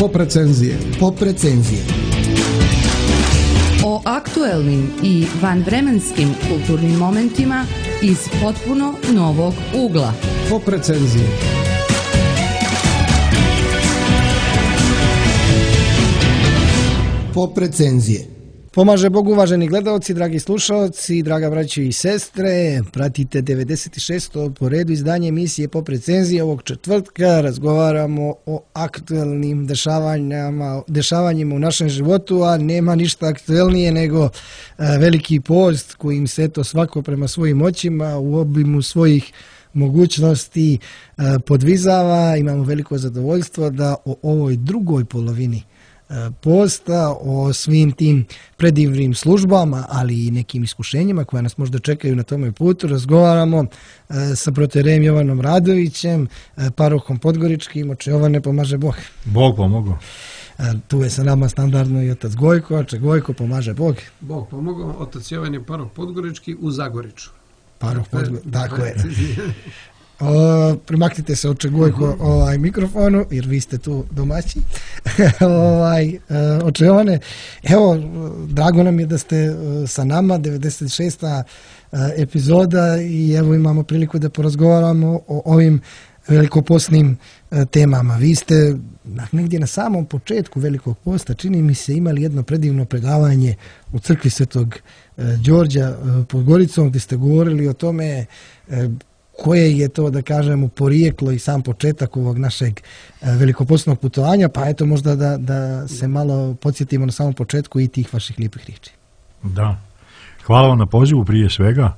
Pop recenzije. Pop recenzije. O aktuelnim i vanvremenskim kulturnim momentima iz potpuno novog ugla. Pop recenzije. Pop recenzije. Pomaže Bog, uvaženi gledalci, dragi slušalci, draga braćo i sestre. Pratite 96. po redu izdanje emisije Pop recenzije. Ovog četvrtka razgovaramo o aktuelnim dešavanjima u našem životu, a nema ništa aktuelnije nego veliki post kojim se to svako prema svojim moćima u obimu svojih mogućnosti podvizava. Imamo veliko zadovoljstvo da o ovoj drugoj polovini posta, o svim tim predivnim službama, ali i nekim iskušenjima koja nas možda čekaju na tome putu, razgovaramo sa proterejem Jovanom Radovićem, parohom Podgoričkim. Oče Jovane, pomaže Bog. Bog pomogao. Tu je sa nama standardno i otac Gojko. Oče Gojko, pomaže Bog. Bog pomogao. Otac Jovan je paroh Podgorički u Zagoriču. Paroh Podgorički, tako je. Primaknite se, oče Gojko, mikrofonu, jer vi ste tu domaći. Oče Jovane, evo, drago nam je da ste sa nama, 96. epizoda, i evo imamo priliku da porazgovaramo o ovim velikoposnim temama. Vi ste negdje na samom početku Velikog posta, čini mi se, imali jedno predivno predavanje u crkvi Svetog Đorđa pod Goricom, gdje ste govorili o tome koje je to, da kažemo, porijeklo i sam početak ovog našeg velikopostnog putovanja, pa eto možda da se malo podsjetimo na samom početku i tih vaših lijepih riječi. Da, hvala vam na pozivu prije svega,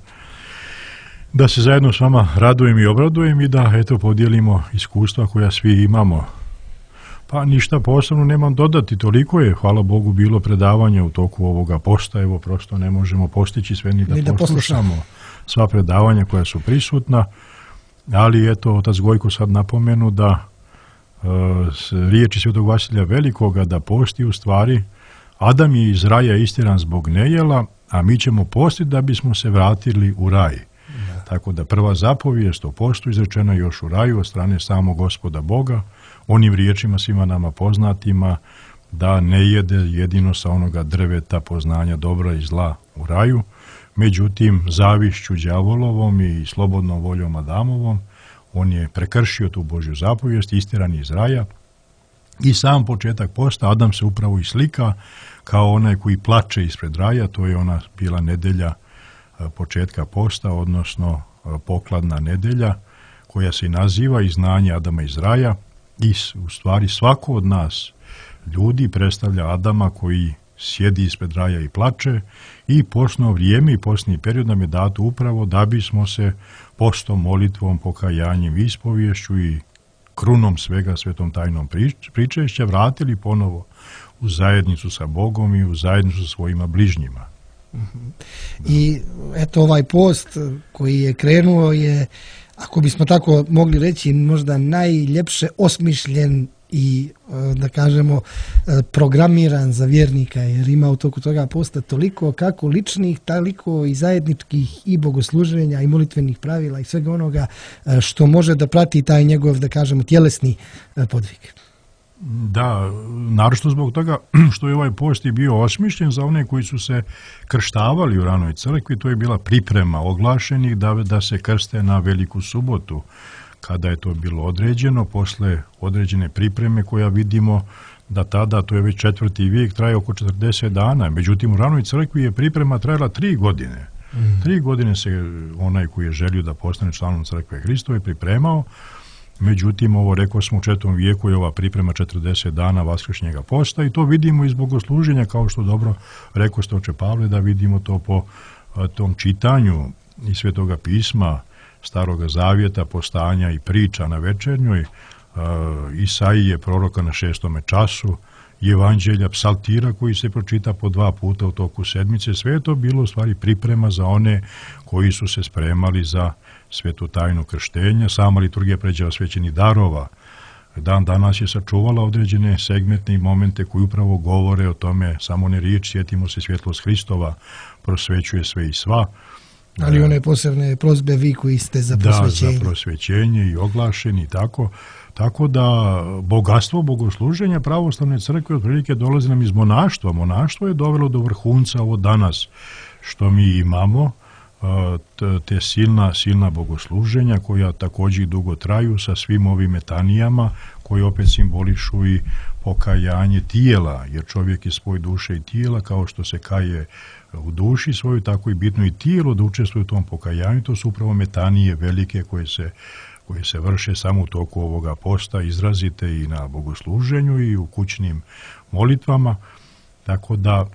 da se zajedno s vama radujem i obradujem i da eto podijelimo iskustva koja svi imamo. Pa ništa posebno nemam dodati, toliko je, hvala Bogu, bilo predavanja u toku ovoga posta, evo prosto ne možemo postići sve ni da poslušamo sva predavanja koja su prisutna, ali eto, otac Gojko sad napomenu da riječi Svetog Vasilija Velikoga da posti u stvari, Adam je iz raja istjeran zbog nejela, a mi ćemo postiti da bismo se vratili u raj. Da. Tako da prva zapovijest o postu izrečena još u raju od strane samog Gospoda Boga, onim riječima svima nama poznatima, da ne jede jedino sa onoga drveta poznanja dobra i zla u raju. Međutim, zavišću đavolovom i slobodnom voljom Adamovom, on je prekršio tu Božju zapovijest, istjeran iz raja, i sam početak posta, Adam se upravo i slika kao onaj koji plače ispred raja, to je ona bila nedelja početka posta, odnosno pokladna nedelja, koja se naziva Izgnanje Adama iz raja, i u stvari svako od nas ljudi predstavlja Adama koji sjedi ispred raja i plače, i postno vrijeme i postni period nam je dato upravo da bismo se postom, molitvom, pokajanjem, ispovješću i krunom svega svetom tajnom pričešća vratili ponovo u zajednicu sa Bogom i u zajednicu sa svojima bližnjima. I eto, ovaj post koji je krenuo je, ako bismo tako mogli reći, možda najljepše osmišljen i, da kažemo, programiran za vjernika, jer ima u toku toga posta toliko kako ličnih, toliko i zajedničkih i bogosluženja i molitvenih pravila i svega onoga što može da prati taj njegov, da kažemo, tjelesni podvig. Da, naročito zbog toga što je ovaj post i bio osmišljen za one koji su se krštavali u ranoj crkvi. To je bila priprema oglašenih da se krste na Veliku subotu, kada je to bilo određeno, posle određene pripreme koja vidimo da tada, to je već 4. vijek, traje oko 40 dana. Međutim, u ranoj crkvi je priprema trajala 3 godine. 3 godine se onaj koji je želio da postane članom crkve Hristove pripremao. Međutim, ovo rekao smo u 4. vijeku je ova priprema 40 dana vaskršnjega posta, i to vidimo iz bogosluženja, kao što dobro rekao ste, oče Pavle, da vidimo to po tom čitanju iz Svetoga pisma, Staroga zavjeta, postanja i priča na večernjoj, Isaije, proroka na 6. času, Evanđelja, psaltira koji se pročita po 2 puta u toku sedmice. Sve je to bilo u stvari priprema za one koji su se spremali za svetu tajnu krštenja. Sama liturgija pređa osvećenih darova dan danas je sačuvala određene segmente i momente koji upravo govore o tome, samo ne riječ, sjetimo se svjetlost Hristova, prosvećuje sve i sva. Ali one posebne prozbe vi koji ste za prosvećenje. Da, za prosvećenje i oglašeni, tako da bogatstvo bogosluženja pravoslavne crkve otprilike dolazi nam iz monaštva. Monaštvo je dovelo do vrhunca ovo danas što mi imamo, te silna bogosluženja koja također dugo traju sa svim ovim metanijama koji opet simbolišu i pokajanje tijela, jer čovjek je svoj duše i tijela, kao što se kaje u duši svoju, tako i bitno i tijelo da učestvuje u tom pokajanju. To su upravo metanije velike koje se vrše samo u toku ovoga posta, izrazite i na bogosluženju i u kućnim molitvama, tako da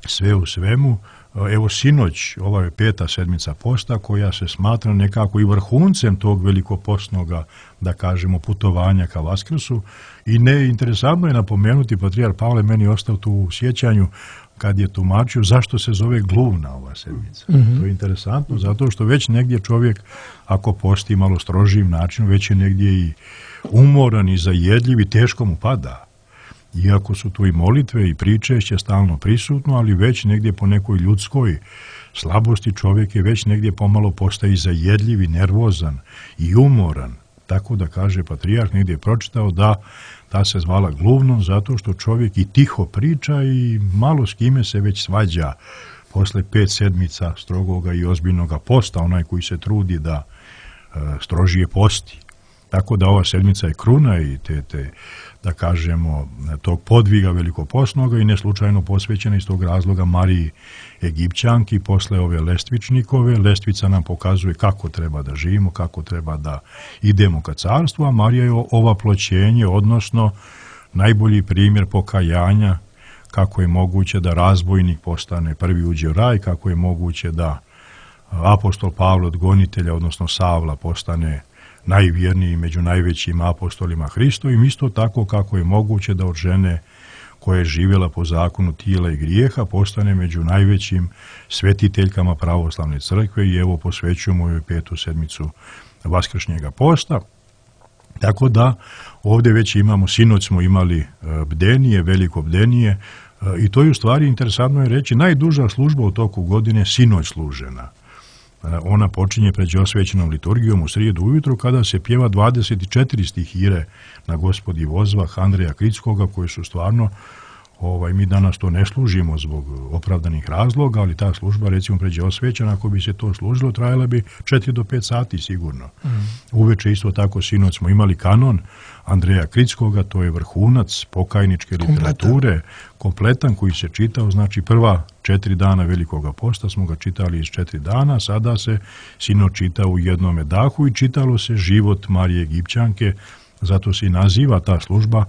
sve u svemu. Evo sinoć, ova je 5. sedmica posta koja se smatra nekako i vrhuncem tog velikopostnoga, da kažemo, putovanja ka Vaskrsu i interesantno je napomenuti, patrijarh Pavle meni ostao tu u sjećanju kad je tumačio zašto se zove gluvna ova sedmica. To je interesantno zato što već negdje čovjek ako posti malo strožijim načinom već je negdje i umoran i zajedljiv i teško mu pada. Iako su tu i molitve i pričešće stalno prisutno, ali već negdje po nekoj ljudskoj slabosti čovjek je već negdje pomalo postaje zajedljiv i nervozan i umoran. Tako da kaže patrijarh, negdje je pročitao da ta se zvala gluvnom zato što čovjek i tiho priča i malo s kime se već svađa posle 5 sedmica strogoga i ozbiljnoga posta, onaj koji se trudi da strožije posti. Tako da ova sedmica je kruna i te da kažemo, tog podviga velikopostnoga i neslučajno posvećena iz tog razloga Mariji Egipćanki posle ove lestvičnikove. Lestvica nam pokazuje kako treba da živimo, kako treba da idemo ka carstvu, a Marija je ovaploćenje, odnosno najbolji primjer pokajanja, kako je moguće da razbojnik postane prvi uđe u raj, kako je moguće da apostol Pavle od gonitelja, odnosno Savla, postane najvjerniji među najvećim apostolima Hristovim, isto tako kako je moguće da od žene koja je živjela po zakonu tijela i grijeha postane među najvećim svetiteljkama pravoslavne crkve i evo posvećujemo joj 5. sedmicu Vaskršnjega posta. Tako da ovdje već imamo, sinoć smo imali bdenije, veliko bdenije i to je u stvari interesantno je reći najduža služba u toku godine sinoć služena. Ona počinje pređosvećenom liturgijom u srijedu ujutro kada se pjeva 24 stihire na Gospodi vozvah Andreja Kritskoga koje su stvarno, mi danas to ne služimo zbog opravdanih razloga, ali ta služba recimo pređosvećena, ako bi se to služilo, trajala bi 4 do 5 sati sigurno. Uveče isto tako sinoć smo imali kanon Andreja Kritskoga, to je vrhunac pokajničke literature, kompletan koji se čitao, znači prva 4 dana Velikoga posta smo ga čitali iz 4 dana, sada se sinoć čita u jednome dahu i čitalo se život Marije Egipćanke, zato se i naziva ta služba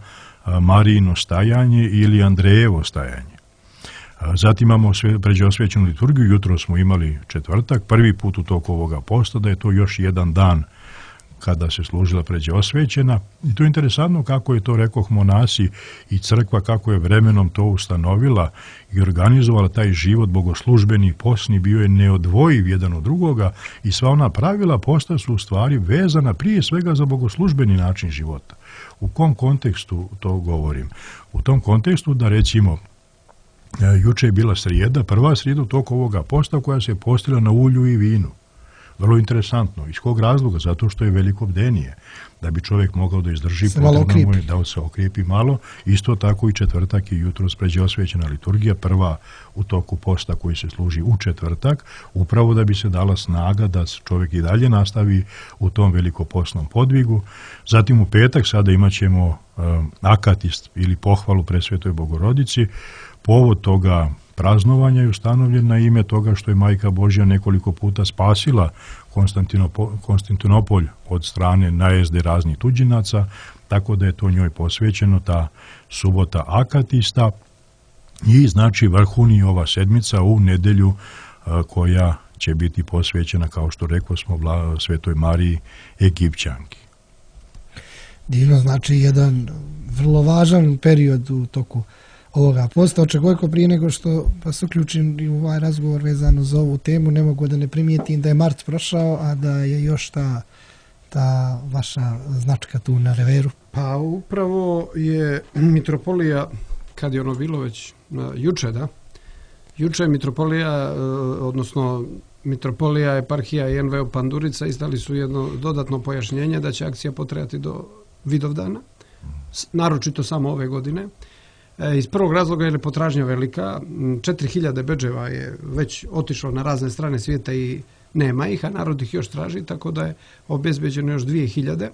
Marijino stajanje ili Andrejevo stajanje. Zatim imamo pređosvećenu liturgiju, jutro smo imali četvrtak, prvi put u toku ovoga posta, da je to još jedan dan kada se služila pređosvećena. I to je interesantno kako je to, rekoh, monasi i crkva, kako je vremenom to ustanovila i organizovala taj život bogoslužbeni, postni, bio je neodvojiv jedan od drugoga i sva ona pravila posta su u stvari vezana prije svega za bogoslužbeni način života. U kom kontekstu to govorim? U tom kontekstu da recimo juče je bila srijeda, prva srijeda u toku ovoga posta koja se postila na ulju i vinu. Vrlo interesantno. Iz kog razloga? Zato što je veliko bdenije. Da bi čovjek mogao da izdrži, potrebno je da se okrijepi malo. Isto tako i četvrtak i jutro pređosvećena liturgija, prva u toku posta koji se služi u četvrtak, upravo da bi se dala snaga da čovjek i dalje nastavi u tom velikopostnom podvigu. Zatim u petak sada imat ćemo akatist ili pohvalu Presvetoj Bogorodici. Povod toga praznovanja je ustanovljen na ime toga što je Majka Božja nekoliko puta spasila Konstantinopolj od strane najezde raznih tuđinaca, tako da je to njoj posvećeno, ta subota akatista i znači vrhuni ova sedmica u nedjelju koja će biti posvećena, kao što rekao smo, Svetoj Mariji Egipćanki. Divno, znači jedan vrlo važan period u toku ovoga posta. Očekujko prije nego što vas uključim u ovaj razgovor vezano za ovu temu, ne mogu da ne primijetim da je mart prošao, a da je još ta vaša značka tu na reveru. Pa upravo je mitropolija, kad je ono bilo već juče, da? Juče je mitropolija, odnosno Mitropolija, eparhija i NVO Pandurica izdali su jedno dodatno pojašnjenje da će akcija potrajati do Vidovdana, naročito samo ove godine. Iz prvog razloga je potražnja velika, 4000 bedževa je već otišlo na razne strane svijeta i nema ih, a narod ih još traži, tako da je obezbeđeno još 2000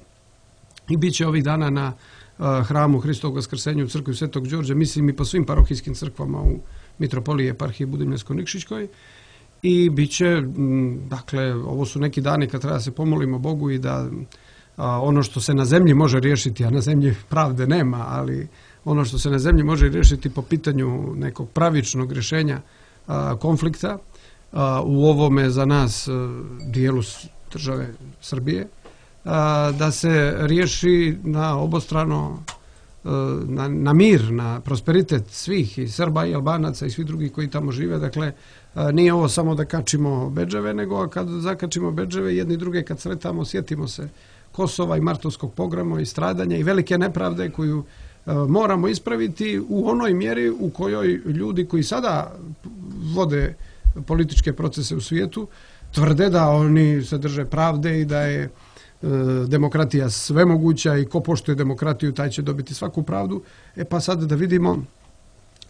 i bit će ovih dana na hramu Hristovog Vaskrsenja u crkvi Svetog Đorđa, mislim i po svim parohijskim crkvama u Mitropoliji eparhiji Budimljansko-Nikšićkoj. I bit će, dakle, ovo su neki dani kad treba se pomolimo Bogu i da ono što se na zemlji može riješiti, a na zemlji pravde nema, ali ono što se na zemlji može riješiti po pitanju nekog pravičnog rješenja konflikta u ovome za nas dijelu države Srbije, da se riješi na obostrano, na mir, na prosperitet svih, i Srba i Albanaca i svih drugih koji tamo žive. Dakle, nije ovo samo da kačimo bedževe, nego kad zakačimo bedževe, jedni druge kad sretamo, sjetimo se Kosova i martovskog pogroma i stradanja i velike nepravde koju moramo ispraviti u onoj mjeri u kojoj ljudi koji sada vode političke procese u svijetu tvrde da oni se drže pravde i da je demokratija svemoguća i ko poštuje demokratiju taj će dobiti svaku pravdu. Pa sad da vidimo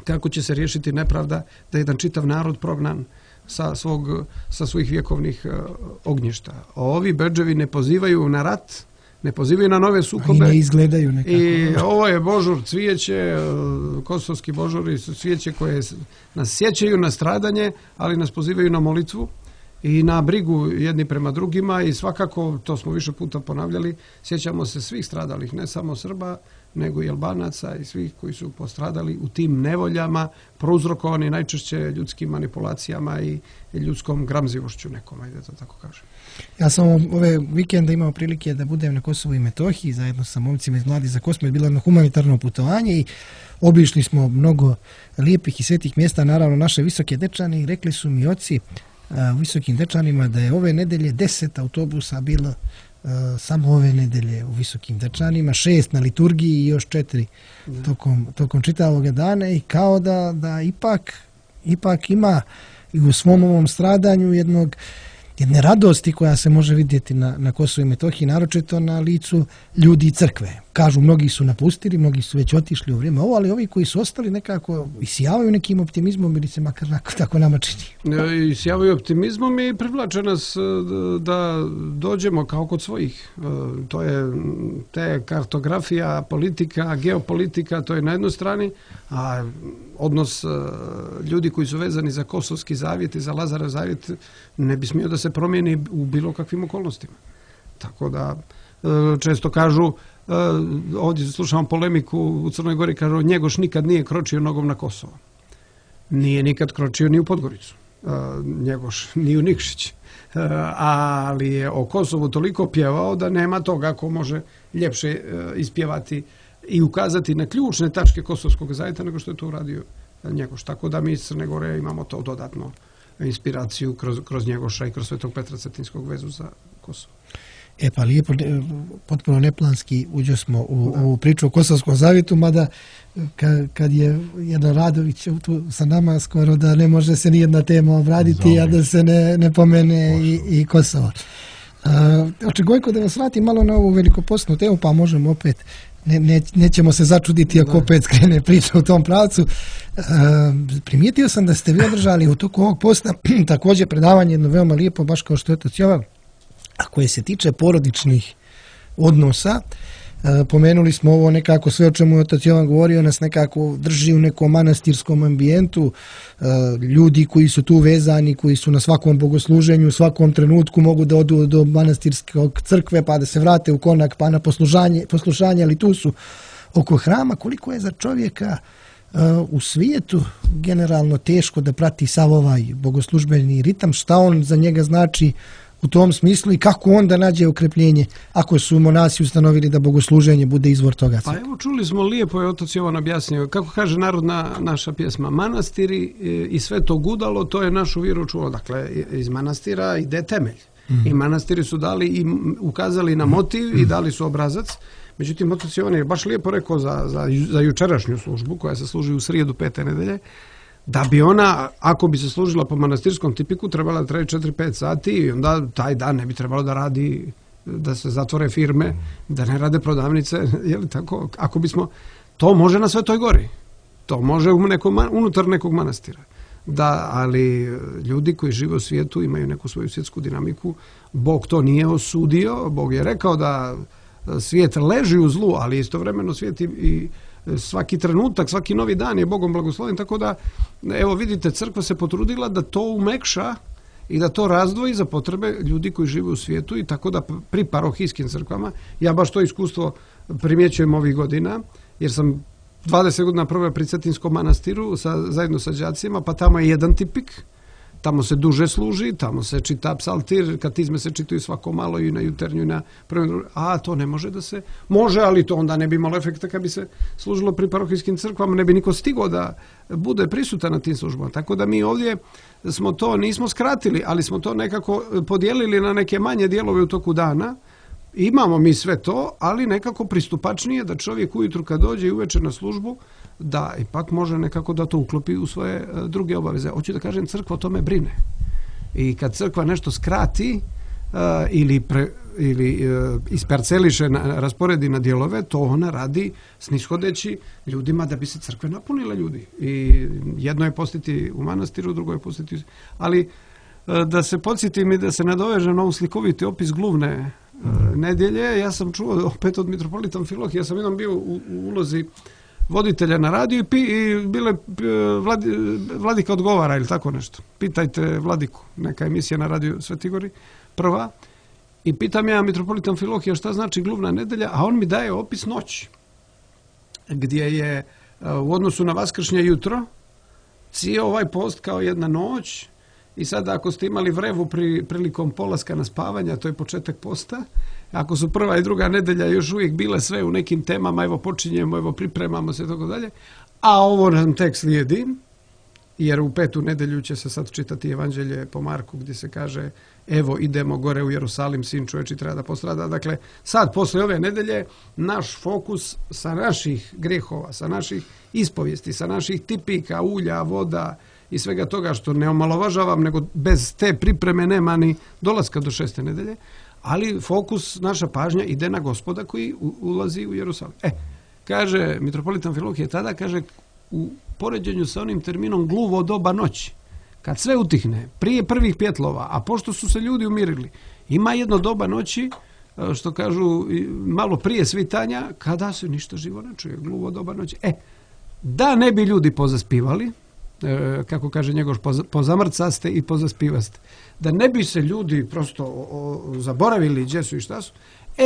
kako će se riješiti nepravda da je jedan čitav narod prognan sa svojih vjekovnih ognjišta. Ovi bedževi ne pozivaju na rat, ne pozivaju na nove sukobe. I ne izgledaju nekako. I ovo je božur, cvijeće, kosovski božuri su cvijeće koje nas sjećaju na stradanje, ali nas pozivaju na molitvu i na brigu jedni prema drugima i svakako, to smo više puta ponavljali, sjećamo se svih stradalih, ne samo Srba, nego i Albanaca i svih koji su postradali u tim nevoljama, prouzrokovani najčešće ljudskim manipulacijama i ljudskom gramzivošću nekom, ajde to tako kažem. Ja sam ove vikenda imao prilike da budem na Kosovu i Metohiji zajedno sa momcima iz Mladi za Kosmo, je bilo jedno humanitarno putovanje i obišli smo mnogo lijepih i svetih mjesta, naravno naše Visoke Dečane, i rekli su mi oci u Visokim Dečanima da je ove nedelje 10 autobusa bilo samo ove nedelje u Visokim Dečanima, 6 na liturgiji i još 4 tokom čitavog dana, i kao da ipak ima i u svom ovom stradanju jedne radosti koja se može vidjeti na Kosovu i Metohiji, naročito na licu ljudi i crkve. Kažu, mnogi su napustili, mnogi su već otišli u vrijeme ovo, ali ovi koji su ostali nekako isijavaju nekim optimizmom ili se makar tako nama čini. Isijavaju optimizmom i privlače nas da dođemo kao kod svojih. To je te kartografija, politika, geopolitika, to je na jednoj strani, a odnos ljudi koji su vezani za Kosovski zavjet i za Lazarov zavjet ne bi smio da se promijeni u bilo kakvim okolnostima. Tako da često kažu, ovdje slušamo polemiku u Crnoj Gori, kažu Njegoš nikad nije kročio nogom na Kosovo. Nije nikad kročio ni u Podgoricu. Njegoš ni u Nikšić. Ali je o Kosovu toliko pjevao da nema toga ko može ljepše ispjevati i ukazati na ključne tačke kosovskog zavjeta nego što je to uradio Njegoš. Tako da mi iz Crne Gore imamo to dodatno inspiraciju kroz Njegoša i kroz Svetog Petra Cetinskog vezu za Kosovo. Pa lijepo, potpuno neplanski uđo smo u ovu priču o Kosovskom zavjetu, mada kad je jedan Radović tu sa nama, skoro da ne može se nijedna tema obraditi, a da se ne pomene i Kosovo. Očegojko da vas vratim malo na ovu velikopostnu temu, pa možemo opet, nećemo se začuditi ako opet skrene priča u tom pravcu. Primijetio sam da ste vi održali u toku ovog posta također predavanje, jedno veoma lijepo, baš kao što je otac Jovan, a koje se tiče porodičnih odnosa. Pomenuli smo ovo nekako, sve o čemu je otac Jovan govorio nas nekako drži u nekom manastirskom ambijentu. Ljudi koji su tu vezani, koji su na svakom bogosluženju, u svakom trenutku mogu da odu do manastirskog crkve pa da se vrate u konak pa na poslušanje, ali tu su oko hrama. Koliko je za čovjeka u svijetu generalno teško da prati sav ovaj bogoslužbeni ritam, šta on za njega znači u tom smislu i kako onda nađe okrepljenje ako su monasi ustanovili da bogosluženje bude izvor toga? Pa evo, čuli smo, lijepo je otac Jovan objasnio, kako kaže narodna naša pjesma, manastiri i sve to gudalo, to je našu vjeru čulo. Dakle, iz manastira ide temelj. I manastiri su dali i ukazali na motiv i dali su obrazac. Međutim, otac Jovan je baš lijepo rekao za jučerašnju službu koja se služi u srijedu 5. nedelje, da bi ona, ako bi se služila po manastirskom tipiku, trebala da traje 4-5 sati i onda taj dan ne bi trebalo da radi, da se zatvore firme, da ne rade prodavnice, je li tako? Ako bismo, to može na Svetoj Gori, to može unutar nekog manastira. Da, ali ljudi koji žive u svijetu imaju neku svoju svjetsku dinamiku. Bog to nije osudio, Bog je rekao da svijet leži u zlu, ali istovremeno svijet i svaki trenutak, svaki novi dan je Bogom blagosloven, tako da, evo vidite, crkva se potrudila da to umekša i da to razdvoji za potrebe ljudi koji žive u svijetu i tako da pri parohijskim crkvama, ja baš to iskustvo primjećujem ovih godina, jer sam 20 godina proveo pri Cetinskom manastiru zajedno sa đacima, pa tamo je jedan tipik, tamo se duže služi, tamo se čita psaltir, katizme se čitaju svako malo i na juternju i na prvim, a to ne može da se, može, ali to onda ne bi imalo efekta kad bi se služilo pri parohijskim crkvama, ne bi niko stigao da bude prisutan na tim službama. Tako da mi ovdje smo to, nismo skratili, ali smo to nekako podijelili na neke manje dijelove u toku dana. Imamo mi sve to, ali nekako pristupačnije da čovjek ujutru kad dođe i uveče na službu, da ipak može nekako da to uklopi u svoje druge obaveze. Hoću da kažem, crkva o tome brine. I kad crkva nešto skrati ili isparceliše, rasporedi na dijelove, to ona radi snishodeći ljudima da bi se crkve napunile ljudi. I jedno je postiti u manastiru, drugo je postiti... Ali da se podsjetim i da se nadovežem na ovu slikoviti opis gluvne nedjelje, ja sam čuo opet od mitropolita Amfilohija, ja sam jednom bio u ulozi voditelja na radiju i bile Vladika odgovara ili tako nešto. Pitajte Vladiku, neka emisija na radiju Sveti Gori, prva. I pitam ja mitropolita Amfilohija šta znači gluvna nedelja, a on mi daje opis noći, gdje je u odnosu na vaskršnje jutro cijel ovaj post kao jedna noć. I sada ako ste imali vrevu prilikom polaska na spavanja, to je početak posta. Ako su prva i druga nedelja još uvijek bile sve u nekim temama, evo počinjemo, evo pripremamo se, tako dalje. A ovo nam tek slijedi, jer u 5. nedelju će se sad čitati Evanđelje po Marku, gdje se kaže evo idemo gore u Jerusalim, sin čovječi treba da postrada. Dakle, sad posle ove nedelje naš fokus sa naših grehova, sa naših ispovijesti, sa naših tipika, ulja, voda, i svega toga što ne omalovažavam, nego bez te pripreme nema ni dolaska do 6. nedelje, ali fokus, naša pažnja ide na Gospoda koji ulazi u Jerusalim. Kaže mitropolit Amfilohije tada, kaže, u poređenju sa onim terminom gluvo doba noći, kad sve utihne, prije prvih pjetlova, a pošto su se ljudi umirili, ima jedno doba noći, što kažu malo prije svitanja, kada se ništa živo ne čuje, gluvo doba noći. Da ne bi ljudi pozaspivali, kako kaže Njegoš, pozamrcaste i pozaspivaste. Da ne bi se ljudi prosto zaboravili gdje su i šta su.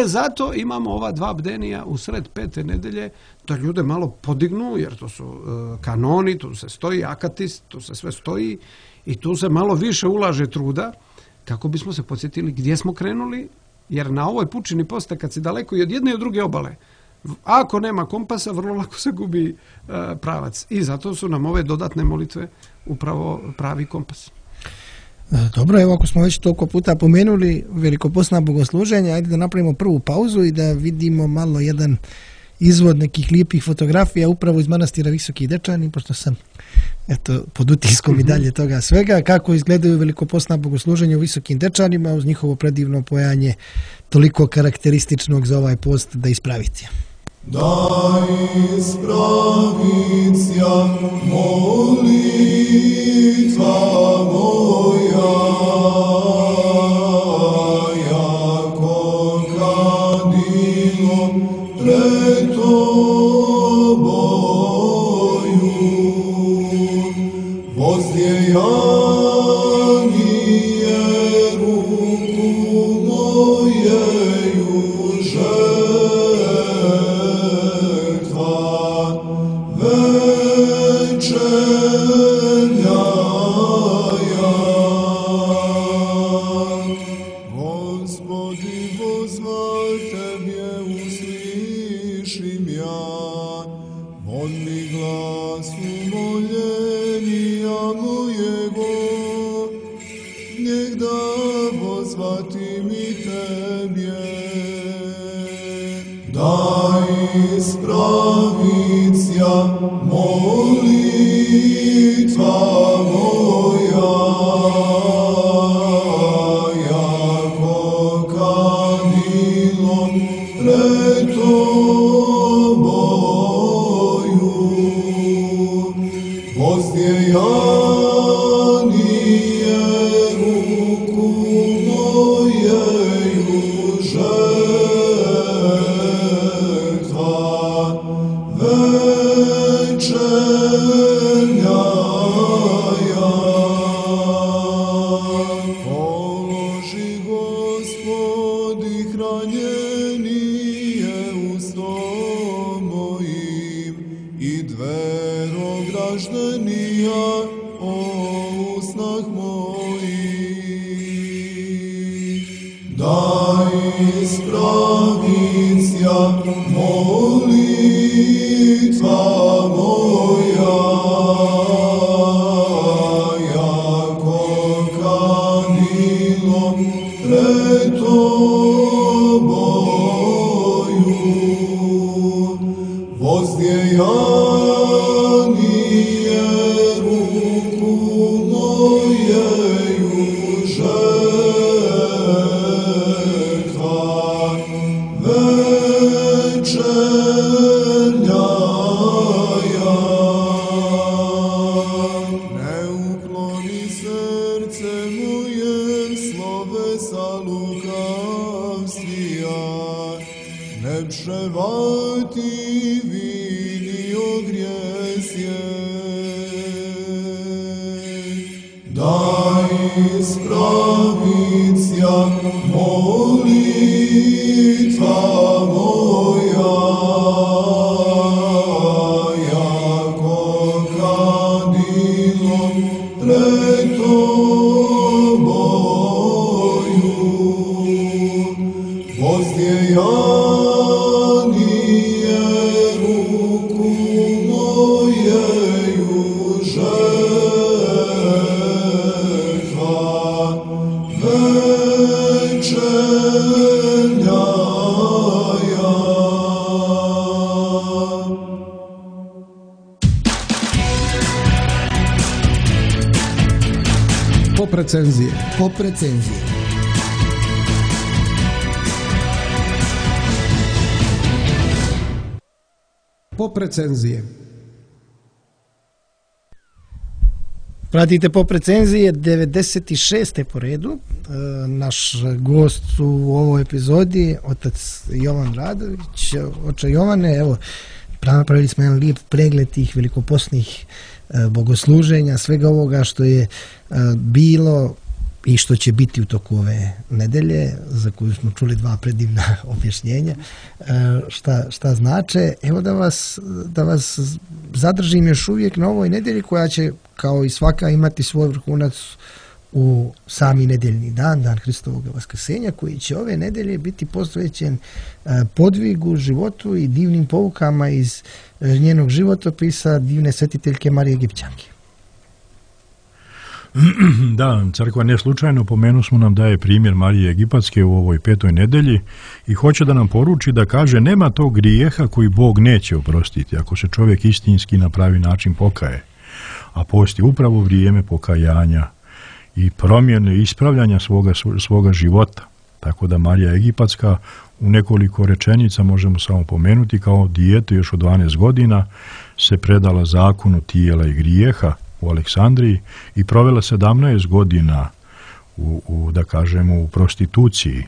Zato imamo ova 2 bdenija u sred 5. nedelje, da ljude malo podignu, jer to su kanoni, tu se stoji akatis, tu se sve stoji i tu se malo više ulaže truda, kako bismo se podsjetili gdje smo krenuli, jer na ovoj pučini posta, kad si daleko i od jedne i od druge obale, ako nema kompasa, vrlo lako se gubi pravac. I zato su nam ove dodatne molitve upravo pravi kompas. Dobro, evo ako smo već toliko puta pomenuli velikopostna bogosluženja, ajde da napravimo prvu pauzu i da vidimo malo jedan izvod nekih lijepih fotografija upravo iz manastira Visoki Dečani, pošto sam pod utiskom i dalje toga svega, kako izgledaju velikopostna bogosluženja u Visokim Dečanima uz njihovo predivno pojanje toliko karakterističnog za ovaj post da ispravite. Da ispravicija molitva moja, jako kadilo pred tobою, vozdjejanije ruku mojeju pozvati mi tebje. Daj ispravicja molitva moja, jako kadilo pred tobою, vozdjejanije ruku mojeju žetva večernja ja. Položi Gospodi hranjenije ustom mojim i dvero graždenija o usnah mojih. Daj ispravicja molitva moja, jako kadilo pred tobою, vozdjejanije ruku mojeju žetva večernja ja. Ne ukloni srce moje slovesa lukavstvija, ne převati vini ogrijesje. Daj ispravicja molitva moja, jako kadilo pred tobою, vozdjejanije ruku mojeju žetva večernja ja. Pop recenzije. Pop recenzije. Pop recenzije. Pratite Pop recenzije 96. po redu. Naš gost u ovoj epizodi, otac Jovan Radović. Oče Jovane, evo, napravili smo jedan lijep pregled tih velikoposnih bogosluženja, svega ovoga što je bilo i što će biti u toku ove nedelje, za koju smo čuli dva predivna objašnjenja, šta znače. Evo da vas zadržim još uvijek na ovoj nedelji koja će, kao i svaka, imati svoj vrhunac u sami nedeljni dan, dan Hristovog vaskrsenja, koji će ove nedelje biti posvećen podvigu, životu i divnim poukama iz njenog životopisa divne svetiteljke Marije Egipćanke. Da, crkva ne slučajno pomenu smo nam daje primjer Marije Egipatske u ovoj 5. nedelji i hoće da nam poruči da kaže nema tog grijeha koji Bog neće oprostiti ako se čovjek istinski na pravi način pokaje. A post je upravo vrijeme pokajanja i promjene ispravljanja svoga života. Tako da Marija Egipatska u nekoliko rečenica možemo samo pomenuti kao dijete još od 12 godina se predala zakonu tijela i grijeha u Aleksandriji i provela 17 godina u prostituciji.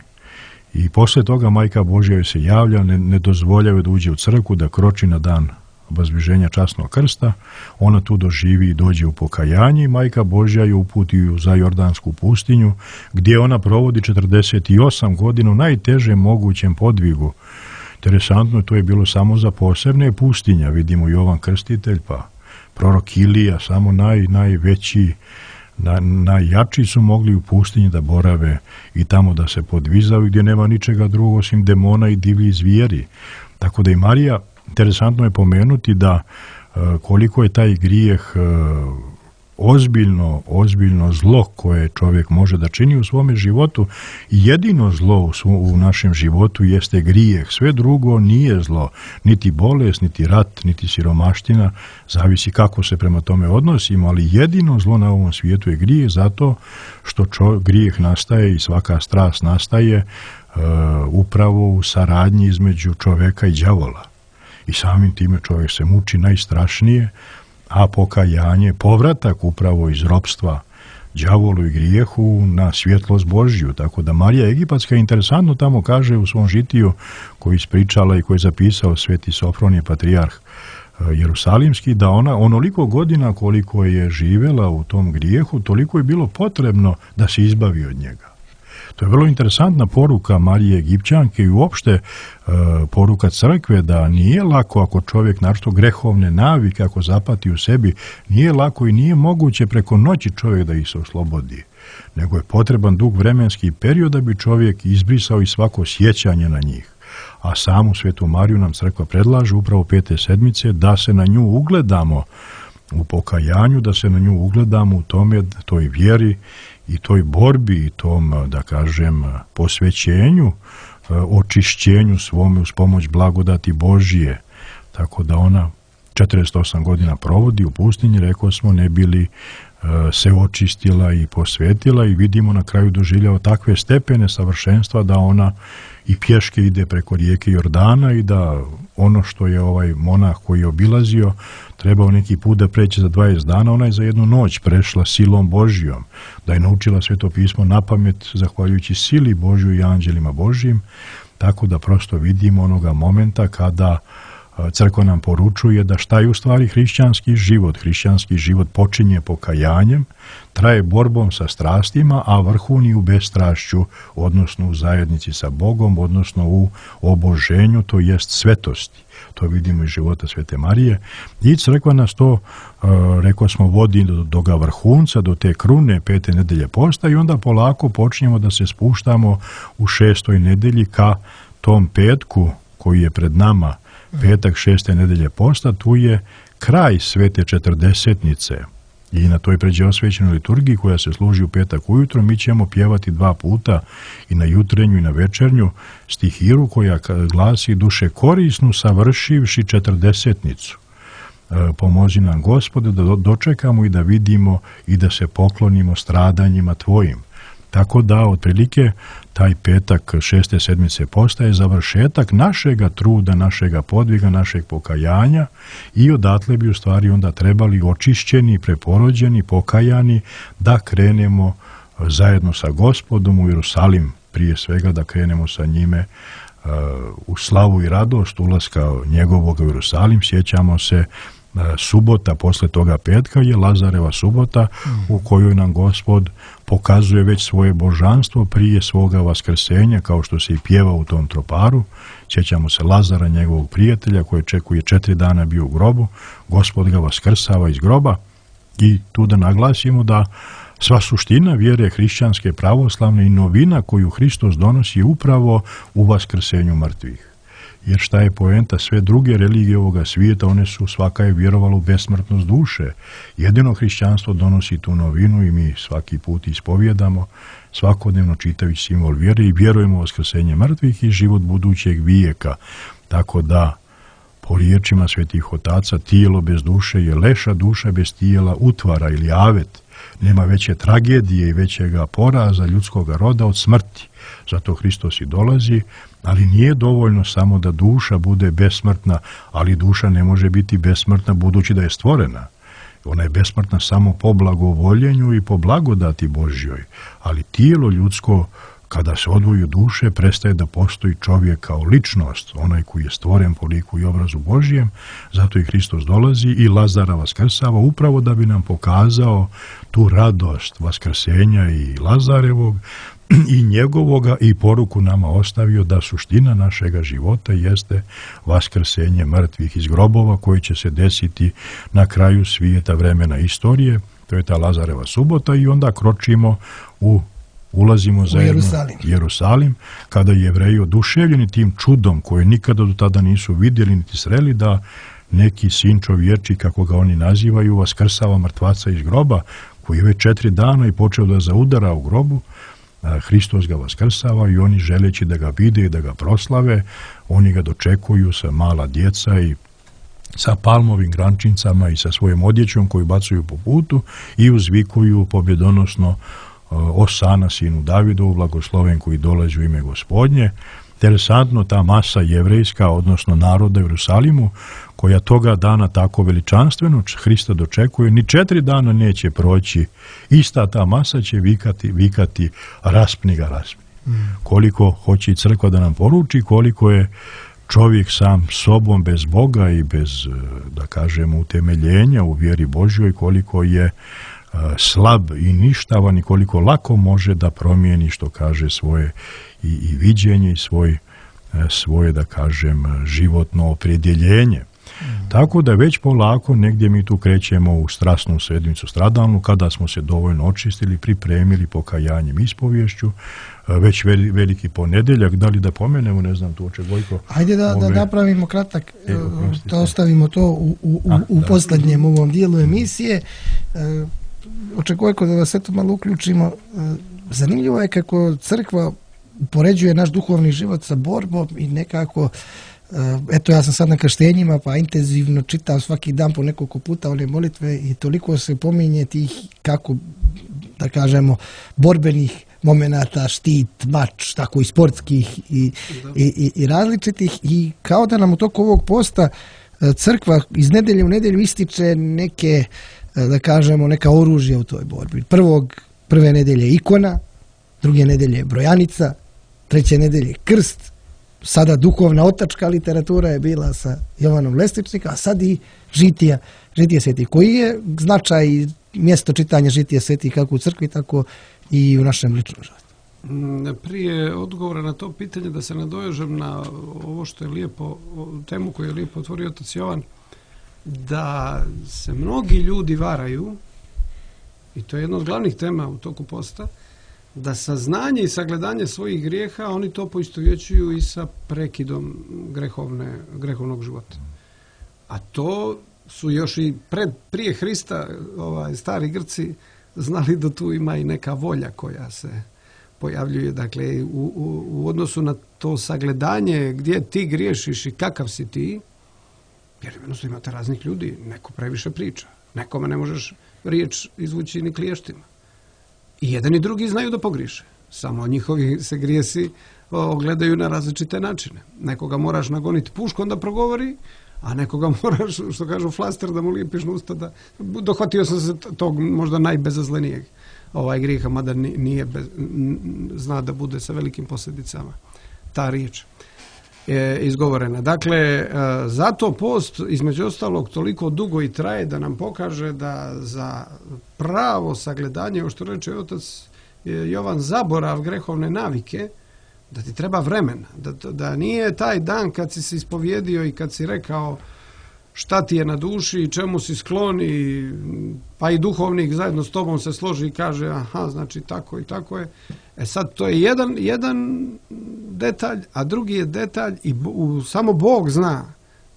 I poslije toga Majka Božja joj se javlja, ne dozvoljava da uđe u crkvu, da kroči na dan obazbiženja časnog krsta. Ona tu doživi i dođe u pokajanje i Majka Božja ju uputi za Jordansku pustinju, gdje ona provodi 48 godina u najtežem mogućem podvigu. Interesantno, to je bilo samo za posebne pustinja. Vidimo Jovan Krstitelj, pa prorok Ilija, samo najveći, najjači su mogli u pustinji da borave i tamo da se podvizaju, gdje nema ničega drugog osim demona i divlji zvijeri. Tako da i Marija, interesantno je pomenuti da koliko je taj grijeh ozbiljno zlo koje čovjek može da čini u svome životu. Jedino zlo u našem životu jeste grijeh. Sve drugo nije zlo. Niti bolest, niti rat, niti siromaština. Zavisi kako se prema tome odnosimo, ali jedino zlo na ovom svijetu je grijeh, zato što grijeh nastaje i svaka strast nastaje upravo u saradnji između čovjeka i đavola. I samim time čovjek se muči najstrašnije, a pokajanje, povratak upravo iz ropstva đavolu i grijehu na svjetlost Božju. Tako da Marija Egipatska interesantno tamo kaže u svom žitiju koji ispričala i koji je zapisao sveti Sofronije patrijarh Jerusalimski, da ona onoliko godina koliko je živjela u tom grijehu, toliko je bilo potrebno da se izbavi od njega. To je vrlo interesantna poruka Marije Egipćanke i uopšte poruka crkve, da nije lako ako čovjek naročito grehovne navike, ako zapati u sebi, nije lako i nije moguće preko noći čovjek da ih se oslobodi. Nego je potreban dug vremenski period da bi čovjek izbrisao i svako sjećanje na njih. A samu Svetu Mariju nam crkva predlaže upravo 5. sedmice da se na nju ugledamo u pokajanju, da se na nju ugledamo u toj vjeri i toj borbi i tom, da kažem, posvećenju, očišćenju svome uz pomoć blagodati Božije. Tako da ona 48 godina provodi u pustinji, rekao smo, ne bili se očistila i posvetila, i vidimo na kraju doživljava takve stepene savršenstva da ona i pješke ide preko rijeke Jordana i da ono što je ovaj monah koji je obilazio trebao neki put da preći za 20 dana, ona je za jednu noć prešla silom Božjom, da je naučila Sveto pismo napamet zahvaljujući sili Božju i anđelima Božjim. Tako da prosto vidimo onoga momenta kada crkva nam poručuje da šta je u stvari hrišćanski život. Hrišćanski život počinje pokajanjem, traje borbom sa strastima, a vrhuni u bestrašću, odnosno u zajednici sa Bogom, odnosno u oboženju, to jest svetosti. To vidimo iz života Svete Marije. I crkva nas to, rekao smo, vodi do ga vrhunca, do te krune 5. nedelje posta, i onda polako počinjemo da se spuštamo u 6. nedelji ka tom petku koji je pred nama, petak 6. nedelje posta. Tu je kraj svete četrdesetnice i na toj pređeosvećenoj liturgiji koja se služi u petak ujutro mi ćemo pjevati 2 puta, i na jutrenju i na večernju, stihiru koja glasi: duše korisnu savršivši četrdesetnicu. Pomozi nam Gospode da dočekamo i da vidimo i da se poklonimo stradanjima Tvojim. Tako da, otprilike, taj petak 6. sedmice postaje završetak našega truda, našega podviga, našeg pokajanja, i odatle bi u stvari onda trebali očišćeni, preporođeni, pokajani da krenemo zajedno sa Gospodom u Jerusalim, prije svega da krenemo sa njime u slavu i radost ulaska njegovog u Jerusalim. Sjećamo se, subota posle toga petka je Lazareva subota, u kojoj nam Gospod pokazuje već svoje božanstvo prije svoga vaskrsenja, kao što se i pjeva u tom troparu. Sjećamo se Lazara, njegovog prijatelja, koji čekuje 4 dana bio u grobu. Gospod ga vaskrsava iz groba, i tu da naglasimo da sva suština vjere hrišćanske, pravoslavne i novina koju Hristos donosi je upravo u vaskrsenju mrtvih. Jer šta je poenta? Sve druge religije ovoga svijeta, one su, svaka je vjerovala u besmrtnost duše. Jedino hrišćanstvo donosi tu novinu i mi svaki put ispovjedamo, svakodnevno čitajući simbol vjere, i vjerujemo u vaskrsenje mrtvih i život budućeg vijeka. Tako da, po riječima svetih otaca, tijelo bez duše je leša, duša bez tijela utvara ili avet. Nema veće tragedije i većega poraza ljudskog roda od smrti. Zato Hristos i dolazi, ali nije dovoljno samo da duša bude besmrtna, ali duša ne može biti besmrtna budući da je stvorena. Ona je besmrtna samo po blagovoljenju i po blagodati Božjoj, ali tijelo ljudsko, kada se odvoji duše, prestaje da postoji čovjek kao ličnost, onaj koji je stvoren po liku i obrazu Božjem. Zato i Hristos dolazi i Lazara vaskrsava upravo da bi nam pokazao tu radost vaskrsenja i Lazarevog i njegovoga, i poruku nama ostavio da suština našega života jeste vaskrsenje mrtvih iz grobova koji će se desiti na kraju svijeta, vremena, istorije. To je ta Lazareva subota, i onda kročimo ulazimo zajedno u Jerusalim, kada Jevreji oduševljeni tim čudom koje nikada do tada nisu vidjeli niti sreli, da neki sin čovječi, kako ga oni nazivaju, vaskrsava mrtvaca iz groba, koji je već 4 dana i počeo da zaudara u grobu. Hristos ga vaskrsava i oni, želeći da ga vide i da ga proslave, oni ga dočekuju sa mala djeca i sa palmovim grančincama i sa svojom odjećom koju bacuju po putu i uzvikuju pobjedonosno Osana sinu Davidovu, blagosloven koji dolazi u ime Gospodnje. Interesantno, ta masa jevrejska, odnosno naroda u Jerusalimu, koja toga dana tako veličanstveno Hrista dočekuje, ni 4 dana neće proći. Ista ta masa će vikati raspni ga, raspni. Koliko hoće i crkva da nam poruči, koliko je čovjek sam sobom bez Boga i bez, da kažemo, utemeljenja u vjeri Božjoj, koliko je slab i ništavan i koliko lako može da promijeni, što kaže, svoje i viđenje i svoje, da kažem, životno opredjeljenje. Tako da već polako negdje mi tu krećemo u strasnu sedmicu stradalnu, kada smo se dovoljno očistili, pripremili pokajanjem, ispovješću, već veliki ponedjeljak. Da li da pomenemo, ne znam, tu oče Gojko? Ajde da napravimo kratak, da ostavimo to u posljednjem ovom dijelu emisije. Oče Gojko, da vas eto malo uključimo. Zanimljivo je kako crkva upoređuje naš duhovni život sa borbom i nekako, eto, ja sam sad na krštenjima pa intenzivno čitam svaki dan po nekoliko puta one molitve i toliko se pominje tih, kako da kažemo, borbenih momenata, štit, mač, tako i sportskih i različitih, i kao da nam u toku ovog posta crkva iz nedelje u nedelju ističe neke, da kažemo, neka oružja u toj borbi. Prve nedelje ikona, druge nedelje brojanica, treće nedelje krst, sada duhovna otačka literatura je bila sa Jovanom Lestičnika, a sad i žitije svetih. Koji je značaj i mjesto čitanja žitije svetih kako u crkvi, tako i u našem ličnom životu? Prije odgovora na to pitanje da se nadovežem na ovo što je lijepo, temu koju je lijepo otvorio otac Jovan, da se mnogi ljudi varaju, i to je jedna od glavnih tema u toku posta, da saznanje i sagledanje svojih grijeha oni to poistovjećuju i sa prekidom grehovnog života. A to su još i prije Hrista stari Grci znali da tu ima i neka volja koja se pojavljuje. Dakle, u odnosu na to sagledanje gdje ti griješiš i kakav si ti, jer jednostavno imate raznih ljudi, neko previše priča, nekome ne možeš riječ izvući ni kliještima. I jedan i drugi znaju da pogriše. Samo njihovi se grijesi ogledaju na različite načine. Nekoga moraš nagoniti puškom da progovori, a nekoga moraš, što kažu, flaster da mu lijepiš na usta. Dohvatio sam se tog možda najbezazlenijeg grijeha, mada nije zna da bude sa velikim posljedicama ta riječ je izgovorena. Dakle, zato post između ostalog toliko dugo i traje da nam pokaže da za pravo sagledanje, što reče otac Jovan, zaborav grehovne navike, da ti treba vremena, da nije taj dan kad si se ispovjedio i kad si rekao šta ti je na duši i čemu si sklon, pa i duhovnik zajedno s tobom se složi i kaže aha, znači tako i tako je. Sad to je jedan detalj, a drugi je detalj i samo Bog zna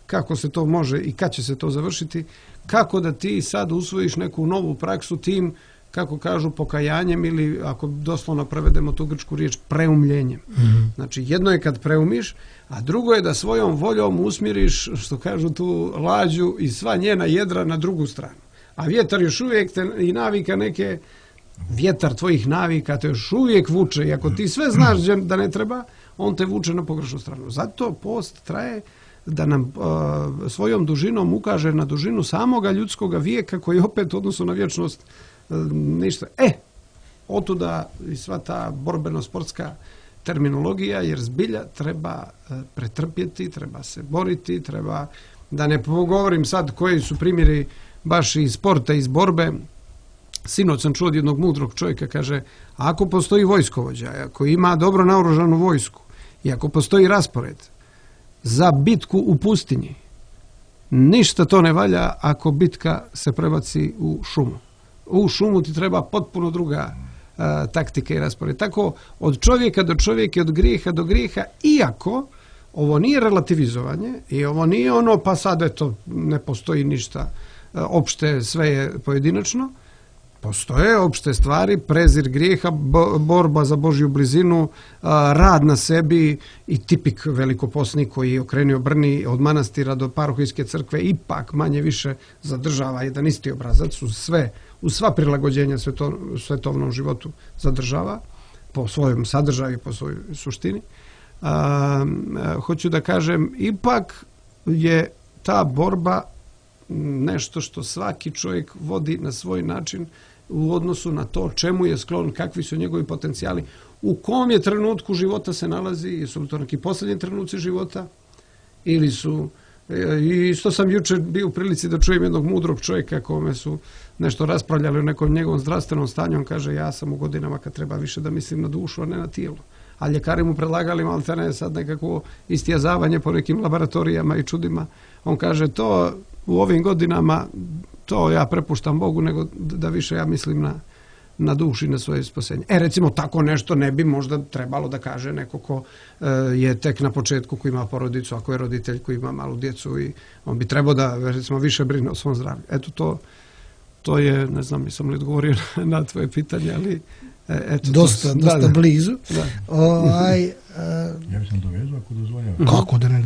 kako se to može i kad će se to završiti, kako da ti sad usvojiš neku novu praksu tim, kako kažu, pokajanjem ili, ako doslovno prevedemo tu grčku riječ, preumljenjem. Znači, jedno je kad preumiš, a drugo je da svojom voljom usmjeriš, što kažu, tu lađu i sva njena jedra na drugu stranu. A vjetar još uvijek i navika neke, vjetar tvojih navika te još uvijek vuče, i ako ti sve znaš da ne treba, on te vuče na pogrešnu stranu. Zato post traje da nam svojom dužinom ukaže na dužinu samoga ljudskoga vijeka, koji opet u odnosu na vječnost ništa. Otuda i sva ta borbeno-sportska terminologija, jer zbilja treba pretrpjeti, treba se boriti, treba, da ne govorim sad koji su primjeri baš iz sporta, iz borbe. Sinoć sam čuo od jednog mudrog čovjeka, kaže, ako postoji vojskovođa, ako ima dobro naoružanu vojsku i ako postoji raspored za bitku u pustinji, ništa to ne valja ako bitka se prebaci u šumu. U šumu ti treba potpuno druga taktika i raspored. Tako od čovjeka do čovjeka, od grijeha do grijeha, iako ovo nije relativizovanje i ovo nije ono pa sad eto ne postoji ništa opšte, sve je pojedinačno. Postoje opšte stvari, prezir grijeha, borba za Božju blizinu, rad na sebi i tipik velikoposnik koji je okrenio Brni od manastira do parohijske crkve ipak manje više zadržava jedan isti obrazac u sva prilagođenja svetovnom životu zadržava po svojom sadržaju, po svojoj suštini. Hoću da kažem, ipak je ta borba nešto što svaki čovjek vodi na svoj način u odnosu na to čemu je sklon, kakvi su njegovi potencijali, u kom je trenutku života se nalazi, jesu li to neki posljednji trenuci života ili su, i isto sam jučer bio u prilici da čujem jednog mudrog čovjeka kome su nešto raspravljali o nekom njegovom zdravstvenom stanju, on kaže ja sam u godinama kad treba više da mislim na dušu, a ne na tijelo. A ljekari mu predlagali maltene sad nekako istijazavanje po nekim laboratorijama i čudima. On kaže to u ovim godinama to ja prepuštam Bogu nego da više ja mislim na duši, na svoje spasenje. Recimo tako nešto ne bi možda trebalo da kaže neko ko je tek na početku, ko ima porodicu, ako je roditelj koji ima malu djecu i on bi trebao da recimo više brine o svom zdravlju. Eto to je, ne znam, nisam li odgovorio na tvoje pitanje, ali eto, dosta blizu. Ja bih sam dovezao ako dozvoljava. Kako da ne...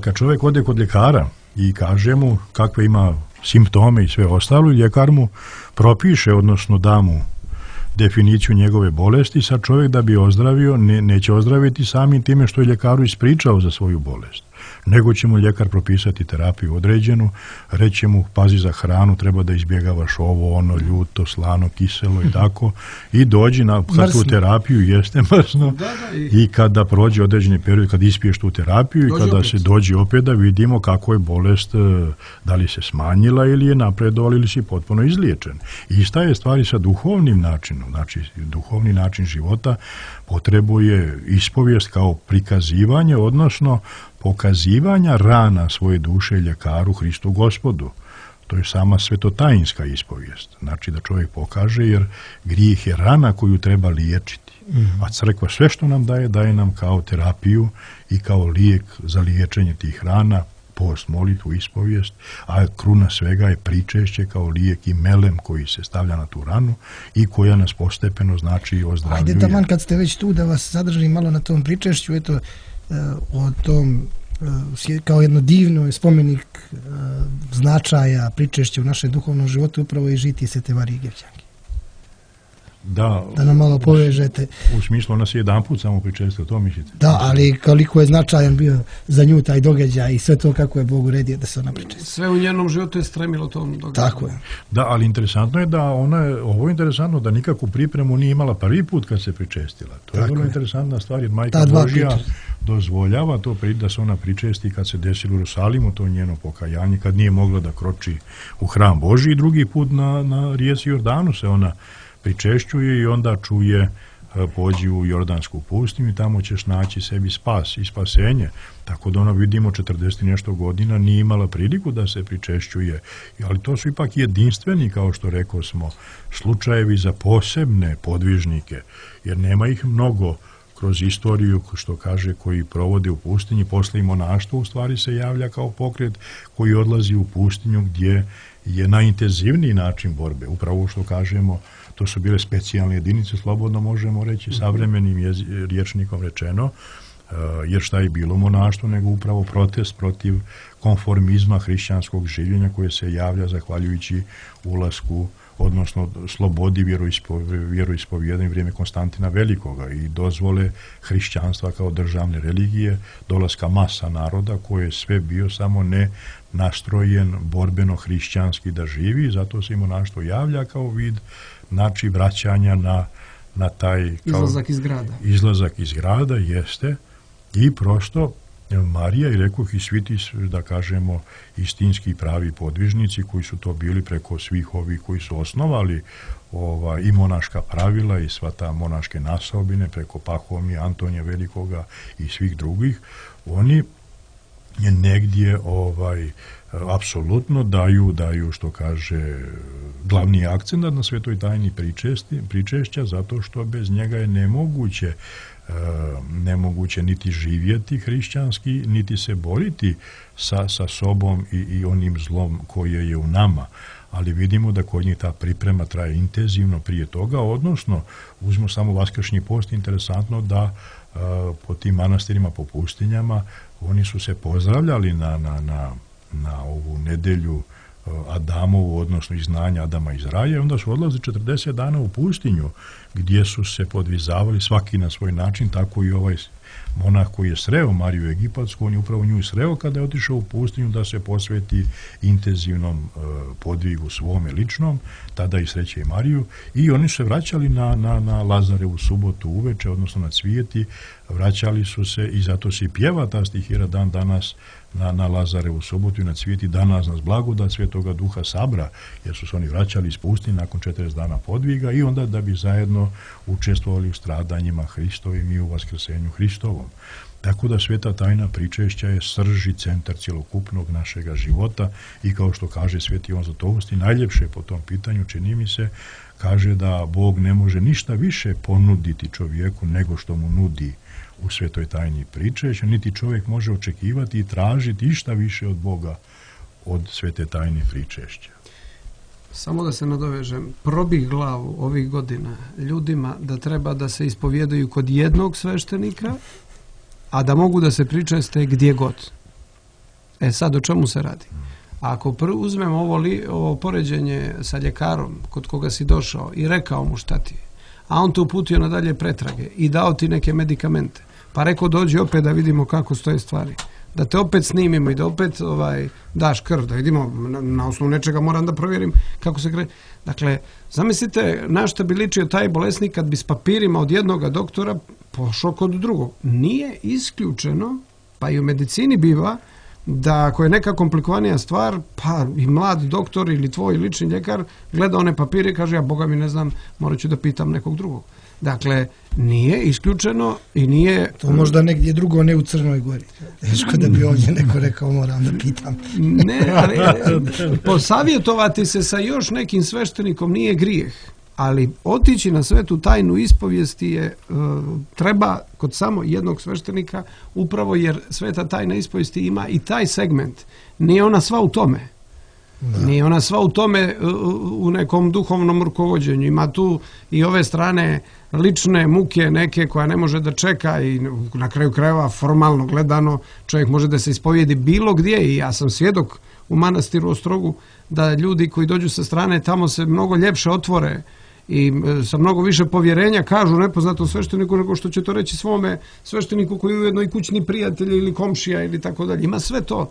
Kad čovjek ode kod ljekara i kaže mu kakve ima simptome i sve ostalo, ljekar mu propiše, odnosno da mu definiciju njegove bolesti, sad čovjek da bi ozdravio neće ozdraviti samim time što je ljekaru ispričao za svoju bolest, nego će mu ljekar propisati terapiju određenu, reći mu pazi za hranu, treba da izbjegavaš ovo, ono, ljuto, slano, kiselo i tako, i dođi na tu terapiju, jeste mrsno, i kada prođe određeni period, kad ispiješ tu terapiju i kada se dođe opet da vidimo kako je bolest, da li se smanjila ili je napredovala ili si potpuno izliječen. Ista je stvari sa duhovnim načinom, znači duhovni način života potrebuje ispovijest kao prikazivanje, odnosno pokazivanja rana svoje duše ljekaru Hristu Gospodu. To je sama svetotajinska ispovijest. Znači da čovjek pokaže, jer grijeh je rana koju treba liječiti. A crkva sve što nam daje nam kao terapiju i kao lijek za liječenje tih rana, post, molitvu, ispovijest, a kruna svega je pričešće kao lijek i melem koji se stavlja na tu ranu i koja nas postepeno znači ozdravljuje. Ajde taman kad ste već tu da vas zadržim malo na tom pričešću, eto, o tom kao jedno divno spomenik značaja pričešća u našem duhovnom životu upravo i žitije Svete Marije Gevćanke. Da nam malo povežete. U smislu ona se jedan put samo pričestila, to mislite? Da, ali koliko je značajan bio za nju taj događaj i sve to kako je Bog uredio da se ona pričestila. Sve u njenom životu je stremilo tom događaju. Tako je. Da, ali interesantno je da ovo je interesantno da nikakvu pripremu nije imala prvi put kad se pričestila. To je vrlo interesantna stvar, jer Majka Božja dozvoljava to da se ona pričesti kad se desilo u Jerusalimu, to njeno pokajanje, kad nije mogla da kroči u hram Božji, i drugi put na rijeci Jordanu se ona pričešćuje i onda čuje pođi u Jordansku pustinju i tamo ćeš naći sebi spas i spasenje. Tako da ona, vidimo, 40 nešto godina nije imala priliku da se pričešćuje. Ali to su ipak jedinstveni, kao što rekao smo, slučajevi za posebne podvižnike, jer nema ih mnogo kroz istoriju, što kaže, koji provode u pustinji. Posle i monaštvo u stvari se javlja kao pokret koji odlazi u pustinju gdje je najintenzivniji način borbe. Upravo što kažemo, to su bile specijalne jedinice, slobodno možemo reći, savremenim rječnikom rečeno, jer šta je bilo monaštvo, nego upravo protest protiv konformizma hrišćanskog življenja koje se javlja zahvaljujući ulasku, odnosno slobodi vjeroispovjedanja u vrijeme Konstantina Velikoga i dozvole hrišćanstva kao državne religije, dolaska masa naroda koje je sve bio samo ne nastrojen borbeno hrišćanski da živi, zato se i monaštvo javlja kao vid, znači, vraćanja na taj izlazak iz grada, jeste, i prosto Marija i rekoh i svi ti, da kažemo, istinski pravi podvižnici koji su to bili preko svih ovih koji su osnovali i monaška pravila i sva ta monaške nasobine preko Pahomija, Antonija Velikoga i svih drugih, oni negdje apsolutno daju što kaže glavni akcent na svetoj tajni pričešća, zato što bez njega je nemoguće niti živjeti hrišćanski, niti se boriti sa sobom i onim zlom koje je u nama. Ali vidimo da kod njih ta priprema traje intenzivno prije toga, odnosno uzmimo samo vaskršnji post, interesantno da po tim manastirima, po pustinjama, oni su se pozdravljali na ovu nedelju Adamovu, odnosno izgnanja Adama iz raja, i onda su odlazili 40 dana u pustinju, gdje su se podvizavali svaki na svoj način, tako i ovaj monah koji je sreo Mariju Egipatsku, on je upravo nju sreo kada je otišao u pustinju da se posveti intenzivnom podvigu svome ličnom, tada i sreće i Mariju, i oni su se vraćali na Lazarevu subotu uveče, odnosno na Cvijeti, vraćali su se, i zato se i pjeva ta stihira dan danas na Lazarevu subotu i na Cvijeti, danas nas blagodat Svetoga Duha sabra, jer su se oni vraćali iz pustinje nakon 40 dana podviga i onda da bi zajedno učestvovali u stradanjima Hristovim i u vaskrsenju Hristovom. Tako da sveta tajna pričešća je srž i centar cjelokupnog našega života, i kao što kaže sveti Ivan Zlatovosti, najljepše po tom pitanju, čini mi se, kaže da Bog ne može ništa više ponuditi čovjeku nego što mu nudi u svetoj tajni pričešća, niti čovjek može očekivati i tražiti išta više od Boga od svete tajne pričešća. Samo da se nadovežem, probih glavu ovih godina ljudima da treba da se ispovjedaju kod jednog sveštenika, a da mogu da se pričeste gdje god. Sad o čemu se radi? Ako uzmemo ovo poređenje sa ljekarom kod koga si došao i rekao mu šta ti je, a on te uputio na dalje pretrage i dao ti neke medikamente, pa rekao dođi opet da vidimo kako stoje stvari, da te opet snimimo i da opet daš krv, da vidimo, na osnovu nečega moram da provjerim kako se kreće. Dakle, zamislite na šta bi ličio taj bolesnik kad bi s papirima od jednog doktora pošao kod drugog. Nije isključeno, pa i u medicini biva, da ako je neka komplikovanija stvar, pa i mlad doktor ili tvoj lični ljekar gleda one papire i kaže, ja Boga mi ne znam, morat ću da pitam nekog drugog. Dakle, nije isključeno i nije... To možda negdje drugo, ne u Crnoj Gori. Teško da bi ovdje neko rekao, moram da pitam. Ne, ali posavjetovati se sa još nekim sveštenikom nije grijeh, ali otići na svetu tajnu ispovijesti je treba kod samo jednog sveštenika, upravo jer sveta tajna ispovijesti ima i taj segment. Nije ona sva u tome. Nije ona sva u tome u nekom duhovnom rukovođenju. Ima tu i ove strane lične muke neke koja ne može da čeka, i na kraju krajeva formalno gledano čovjek može da se ispovijedi bilo gdje, i ja sam svjedok u manastiru Ostrogu da ljudi koji dođu sa strane tamo se mnogo ljepše otvore i sa mnogo više povjerenja kažu nepoznatom svešteniku nego što će to reći svome svešteniku koji je ujedno i kućni prijatelj ili komšija ili tako dalje. Ima sve to,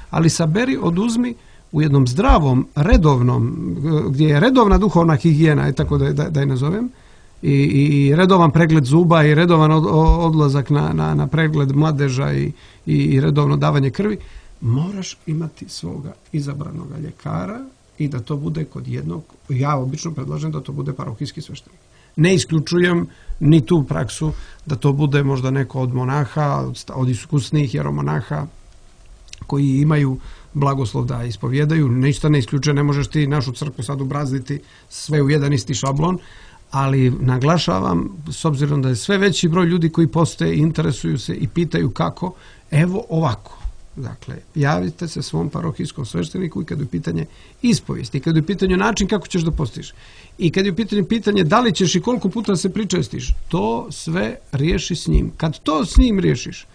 ali saberi, oduzmi u jednom zdravom, redovnom, gdje je redovna duhovna higijena, tako da je nazovem, i redovan pregled zuba i redovan odlazak na pregled mladeža i redovno davanje krvi, moraš imati svoga izabranog ljekara i da to bude kod jednog, ja obično predlažem da to bude parohijski sveštenik. Ne isključujem ni tu praksu da to bude možda neko od monaha, od iskusnih jeromonaha koji imaju blagoslov da ispovjedaju. Ništa ne isključuje, ne možeš ti našu crkvu sad ubrazditi sve u jedan isti šablon, ali naglašavam, s obzirom da je sve veći broj ljudi koji postoje, interesuju se i pitaju kako, evo ovako. Dakle, javite se svom parohijskom svešteniku i kad je pitanje ispovijesti, i kad je pitanje način kako ćeš da postiš, i kad je pitanje da li ćeš i koliko puta se pričestiš, to sve riješi s njim. Kad to s njim riješiš,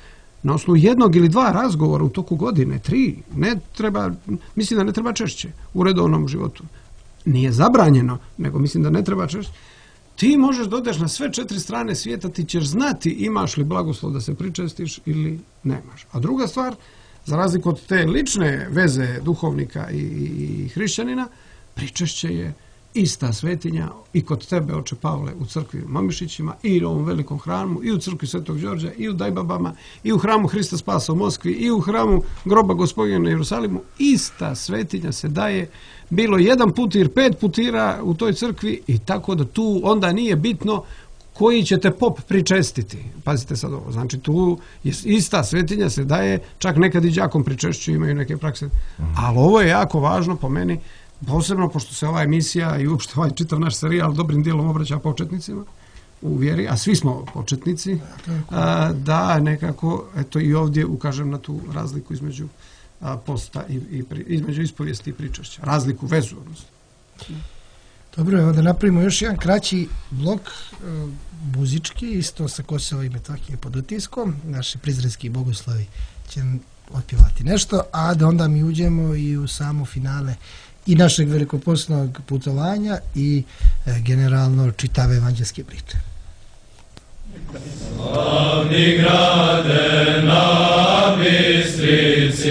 na osnovu jednog ili dva razgovora u toku godine, 3, ne treba, mislim da ne treba češće u redovnom životu. Nije zabranjeno, nego mislim da ne treba češće. Ti možeš da odeš na sve 4 strane svijeta, ti ćeš znati imaš li blagoslov da se pričestiš ili nemaš. A druga stvar, za razliku od te lične veze duhovnika i hrišćanina, pričešće je ista svetinja i kod tebe, oče Pavle, u crkvi u Mamišićima, i u ovom velikom hramu, i u crkvi Svetog Đorđa, i u Dajbabama, i u hramu Hrista Spasa u Moskvi, i u hramu groba Gospodina na Jerusalimu. Ista svetinja se daje, bilo 1 putir, 5 putira u toj crkvi, i tako da tu onda nije bitno koji ćete pop pričestiti. Pazite sad ovo, znači tu je ista svetinja se daje, čak nekad i đakom pričešću, imaju neke prakse, ali ovo je jako važno po meni, posebno pošto se ova emisija i uopšte ovaj čitav naš serijal dobrim dijelom obraća početnicima u vjeri, a svi smo početnici, da nekako, eto i ovdje ukažem na tu razliku između posta između ispovijesti i pričešća. Razliku, vezu, odnosno. Dobro, evo da napravimo još jedan kraći blok muzički, isto sa Kosova i Metohije pod utiskom. Naši prizrenski bogoslovi će otpjevati nešto, a da onda mi uđemo i u samo finale i našeg velikopostnog putovanja i generalno čitave evanđelske priče. Slavni grade na Bistrici,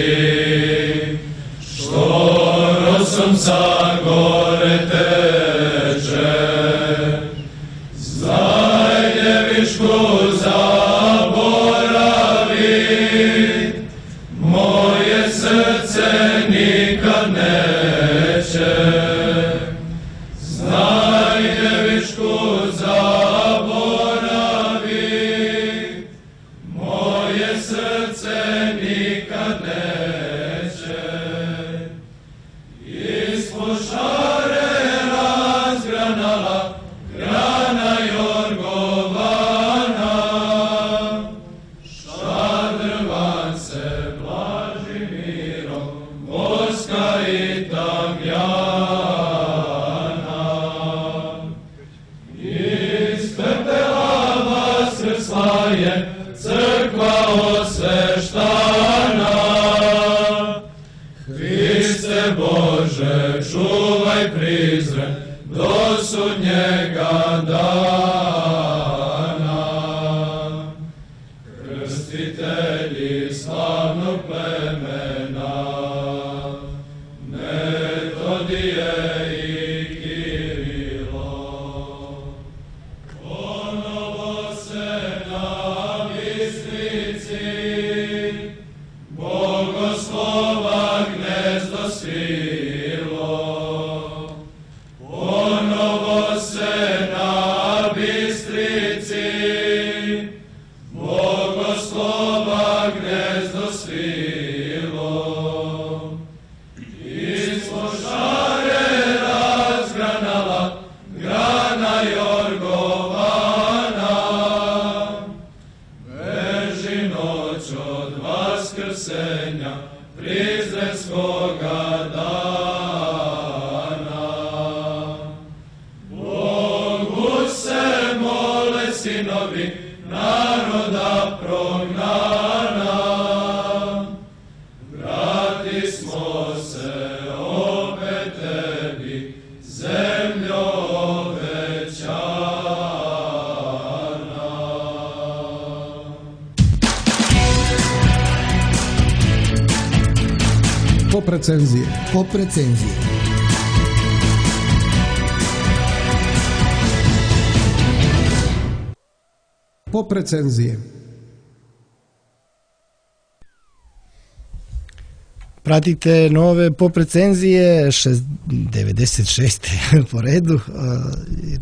što rosom sa gore teče, znaj djevičku zaboravi, moje srce nikad neće. Znaj djevičku zaboravi, moje srce nikad neće. Ispod šare razgranala grana jorgovana, šadrvan se blaži mirom, voska i tamjana. Iz pepela vaskrsla je crkva osveštana. Hriste Bože, čuvaj Prizren do sudnjega dana. Krstitelji slavnog plemena, Metodije i Kirilo, ponovo se na Bistrici Bogoslova gnezdo svilo. Ponovo se na Bistrici Bogoslova gnezdo svilo. Ispod šare razgranala grana jorgovana, beži noć od vaskrsenja prizrenskoga dana. Bogu se mole sinovi naroda prognana, vrati smo se opet tebi, zemljo obećana. Pop recenzije. Pop recenzije. Pop recenzije. Pratite nove pop recenzije 96. po redu.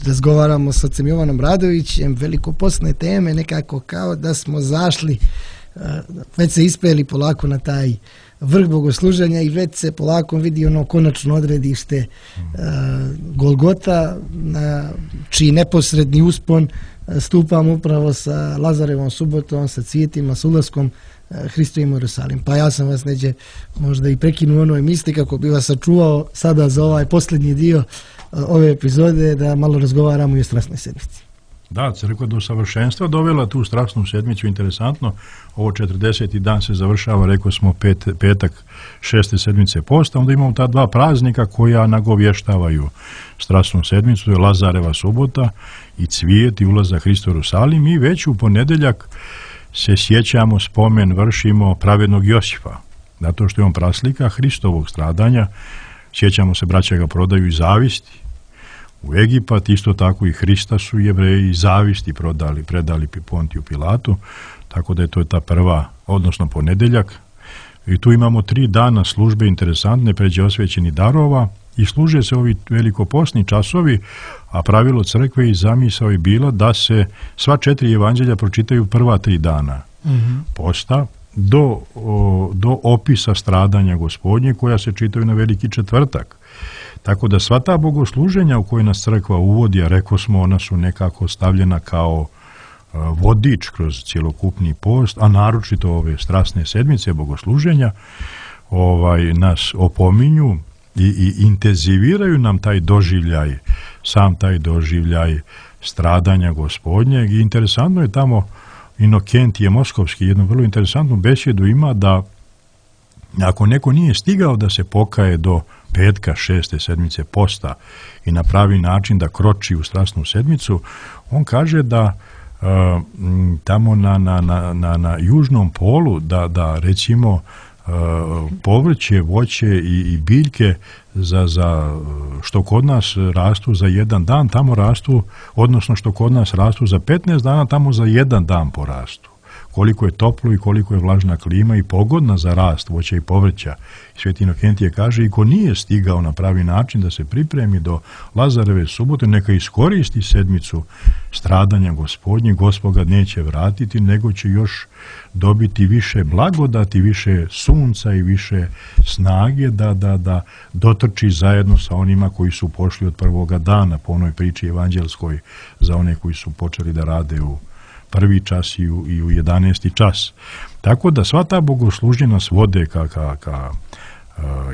Razgovaramo s ocem Jovanom Radovićem, velikopostne teme, nekako kao da smo zašli, već se ispeli polako na taj vrh bogosluženja i već se polako vidi ono konačno odredište Golgota, na čiji neposredni uspon stupamo upravo sa Lazarevom subotom, sa cvijetima, s ulaskom Hristovim u Jerusalim. Pa ja sam vas neđe možda i prekinuo onoj misli kako bi vas sačuvao sada za ovaj posljednji dio ove epizode da malo razgovaramo i o strasnoj sedmici. Da, crkva do savršenstva dovela tu strasnu sedmicu, interesantno. Ovo 40. dan se završava, rekao smo, petak 6. sedmice posta, onda imamo ta dva praznika koja nagovještavaju strasnu sedmicu, to je Lazareva subota i cvijet i ulazak Hrista u Jerusalim, i već u ponedjeljak se sjećamo, spomen vršimo pravednog Josipa, zato što je on praslika Hristovog stradanja. Sjećamo se, braća ga prodaju iz zavisti u Egipat, isto tako i Hrista su Jevreji iz zavisti predali Pontiju Pilatu, tako da je to ta prva, odnosno ponedjeljak, I tu imamo 3 dana službe interesantne pređe osvećenih darova i služe se ovi velikoposni časovi, a pravilo crkve i zamisao je bila da se sva 4 evanđelja pročitaju prva 3 dana posta do opisa stradanja Gospodnje koja se čitaju na Veliki četvrtak. Tako da sva ta bogosluženja u koje nas crkva uvodi, a rekao smo, ona su nekako stavljena kao vodič kroz cjelokupni post, a naročito ove strasne sedmice bogosluženja nas opominju i intenziviraju nam taj doživljaj, sam taj doživljaj stradanja Gospodnjeg. I interesantno je tamo Inokentije Moskovski jednu vrlo interesantnu besjedu ima da ako neko nije stigao da se pokaje do petka 6. sedmice posta i na pravi način da kroči u strasnu sedmicu, on kaže da tamo na južnom polu da recimo povrće, voće i biljke za što kod nas rastu za jedan dan, tamo rastu, odnosno što kod nas rastu za 15 dana, tamo za jedan dan porastu. Koliko je toplo i koliko je vlažna klima i pogodna za rast voća i povrća. Sveti Inokentije kaže, i ko nije stigao na pravi način da se pripremi do Lazareve subote, neka iskoristi sedmicu stradanja Gospodnje, Gospod ga neće vratiti, nego će još dobiti više blagodati, više sunca i više snage da dotrči zajedno sa onima koji su pošli od prvoga dana po onoj priči evanđelskoj za one koji su počeli da rade u prvi čas i u 11. čas. Tako da sva ta bogoslužja nas vode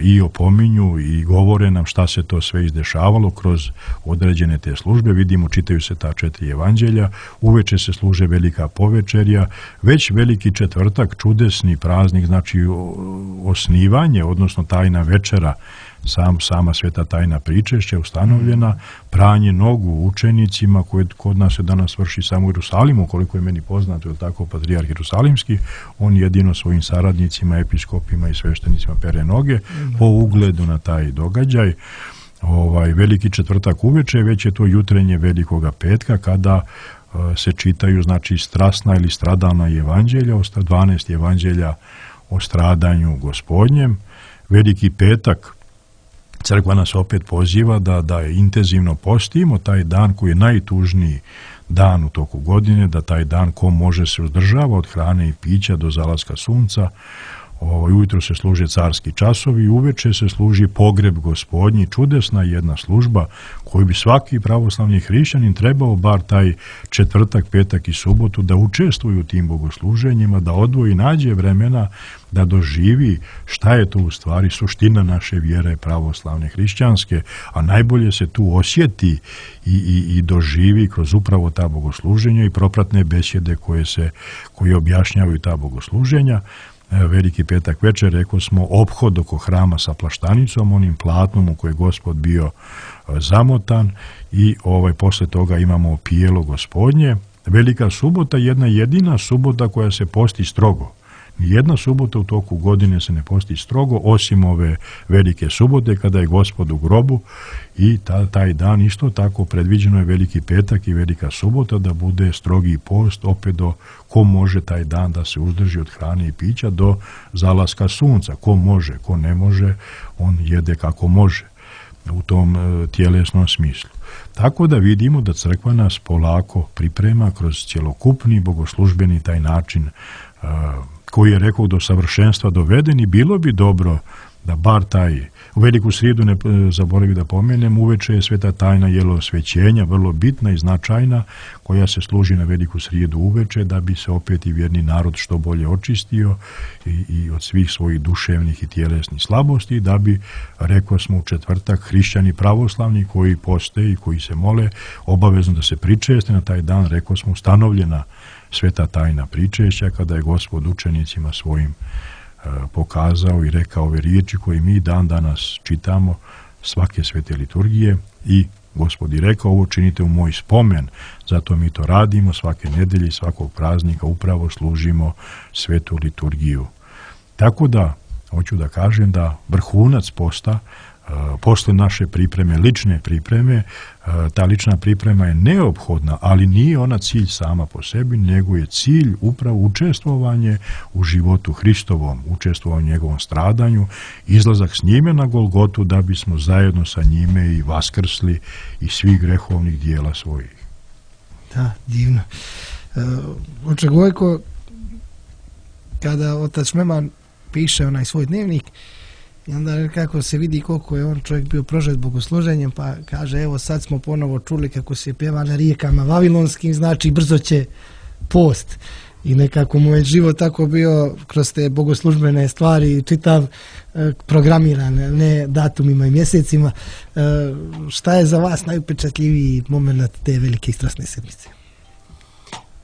i opominju i govore nam šta se to sve izdešavalo kroz određene te službe. Vidimo, čitaju se ta 4 evanđelja, uveče se služe velika povečerja, već Veliki četvrtak, čudesni praznik, znači osnivanje, odnosno tajna večera, sama sveta tajna pričešća ustanovljena, pranje nogu učenicima koje kod nas se danas vrši samo u Jerusalimu, koliko je meni poznato, je tako, patrijarh Jerusalimski, on jedino svojim saradnicima, episkopima i sveštenicima pere noge po ugledu na taj događaj. Veliki četvrtak uveče, već je to jutrenje Velikoga petka kada se čitaju, znači, strasna ili stradalna evanđelja, 12 evanđelja o stradanju Gospodnjem. Veliki petak crkva nas opet poziva da intenzivno postimo taj dan koji je najtužniji dan u toku godine, da taj dan ko može se uzdržava od hrane i pića do zalaska sunca. Ujutro se služe carski časovi, uveče se služi pogreb Gospodnji, čudesna jedna služba koju bi svaki pravoslavni hrišćanin trebao bar taj četvrtak, petak i subotu da učestvuju u tim bogosluženjima, da odvoji, nađe vremena da doživi šta je to u stvari suština naše vjere pravoslavne hrišćanske, a najbolje se tu osjeti i doživi kroz upravo ta bogosluženja i propratne besjede koje objašnjavaju ta bogosluženja. Veliki petak večer, rekao smo, ophod oko hrama sa plaštanicom, onim platnom u koje je Gospod bio zamotan, i posle toga imamo pijelo Gospodnje. Velika subota, jedna jedina subota koja se posti strogo. Nijedna subota u toku godine se ne posti strogo, osim ove velike subote kada je Gospod u grobu, i taj dan isto tako predviđeno je Veliki petak i Velika subota da bude strogi post, opet do ko može taj dan da se uzdrži od hrane i pića do zalaska sunca. Ko može, ko ne može, on jede kako može u tom tjelesnom smislu. Tako da vidimo da crkva nas polako priprema kroz cjelokupni bogoslužbeni taj način koji je, rekao, do savršenstva doveden, i bilo bi dobro da bar taj, u Veliku srijedu, ne zaboravim da pomenem, uveče je sveta tajna jelosvećenja, vrlo bitna i značajna, koja se služi na Veliku srijedu uveče, da bi se opet i vjerni narod što bolje očistio i od svih svojih duševnih i tjelesnih slabosti, da bi, rekao smo, u četvrtak hrišćani pravoslavni koji poste i koji se mole obavezno da se pričeste na taj dan, rekao smo, ustanovljena sveta tajna pričešća, kada je Gospod učenicima svojim pokazao i rekao ove riječi koje mi dan danas čitamo svake svete liturgije, i Gospod je rekao, ovo činite u moj spomen, zato mi to radimo svake nedelje i svakog praznika, upravo služimo svetu liturgiju. Tako da, hoću da kažem da vrhunac posta posle naše pripreme, lične pripreme, ta lična priprema je neophodna, ali nije ona cilj sama po sebi, nego je cilj upravo učestvovanje u životu Hristovom, učestvovanje u njegovom stradanju, izlazak s njime na Golgotu da bismo zajedno sa njime i vaskrsli iz svih grehovnih dijela svojih. Da, divno. Oče Gojko, kada otac Šmeman piše onaj svoj dnevnik, i onda kako se vidi koliko je on čovjek bio prožet bogosluženjem, pa kaže, evo sad smo ponovo čuli kako se pjeva na rijekama vavilonskim, znači brzo će post. I nekako mu je život tako bio kroz te bogoslužbene stvari, čitav programiran, ne datumima i mjesecima. Šta je za vas najupečatljiviji moment te velike strasne sedmice?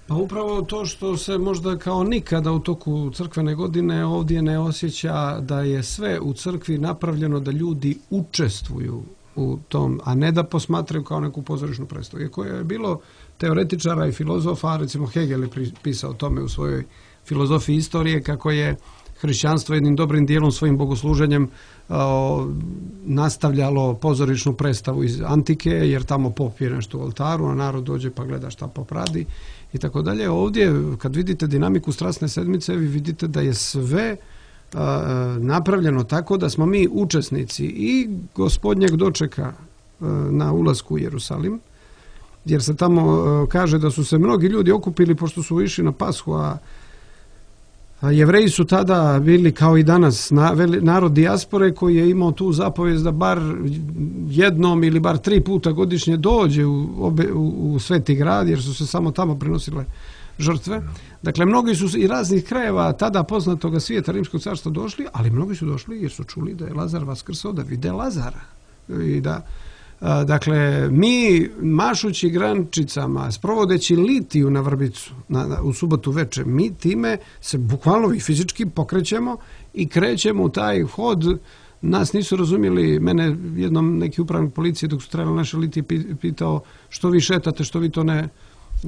Pa upravo to što se možda kao nikada u toku crkvene godine ovdje ne osjeća da je sve u crkvi napravljeno da ljudi učestvuju u tom, a ne da posmatraju kao neku pozorišnu predstavu. Iako je bilo teoretičara i filozofa, recimo Hegel je pisao o tome u svojoj filozofiji istorije, kako je hrišćanstvo jednim dobrim dijelom svojim bogosluženjem nastavljalo pozorišnu predstavu iz antike, jer tamo pop je nešto u oltaru, a narod dođe pa gleda šta pop radi i tako dalje. Ovdje, kad vidite dinamiku strasne sedmice, vi vidite da je sve napravljeno tako da smo mi učesnici i gospodnjeg dočeka na ulasku u Jerusalim, jer se tamo kaže da su se mnogi ljudi okupili pošto su išli na Pashu, a Jevreji su tada bili kao i danas narod dijaspore koji je imao tu zapovijest da bar jednom ili bar 3 puta godišnje dođe u Sveti grad, jer su se samo tamo prenosile žrtve. Dakle, mnogi su iz raznih krajeva tada poznatoga svijeta Rimskog carstva došli, ali mnogi su došli jer su čuli da je Lazar vaskrsao, da vide Lazara. I da, dakle, mi mašući grančicama, sprovodeći litiju na vrbicu u subotu večer, mi time se bukvalno i fizički pokrećemo i krećemo u taj hod. Nas nisu razumjeli, mene jednom neki upravnik policije dok su trebali naše litije pitao što vi šetate, što vi to ne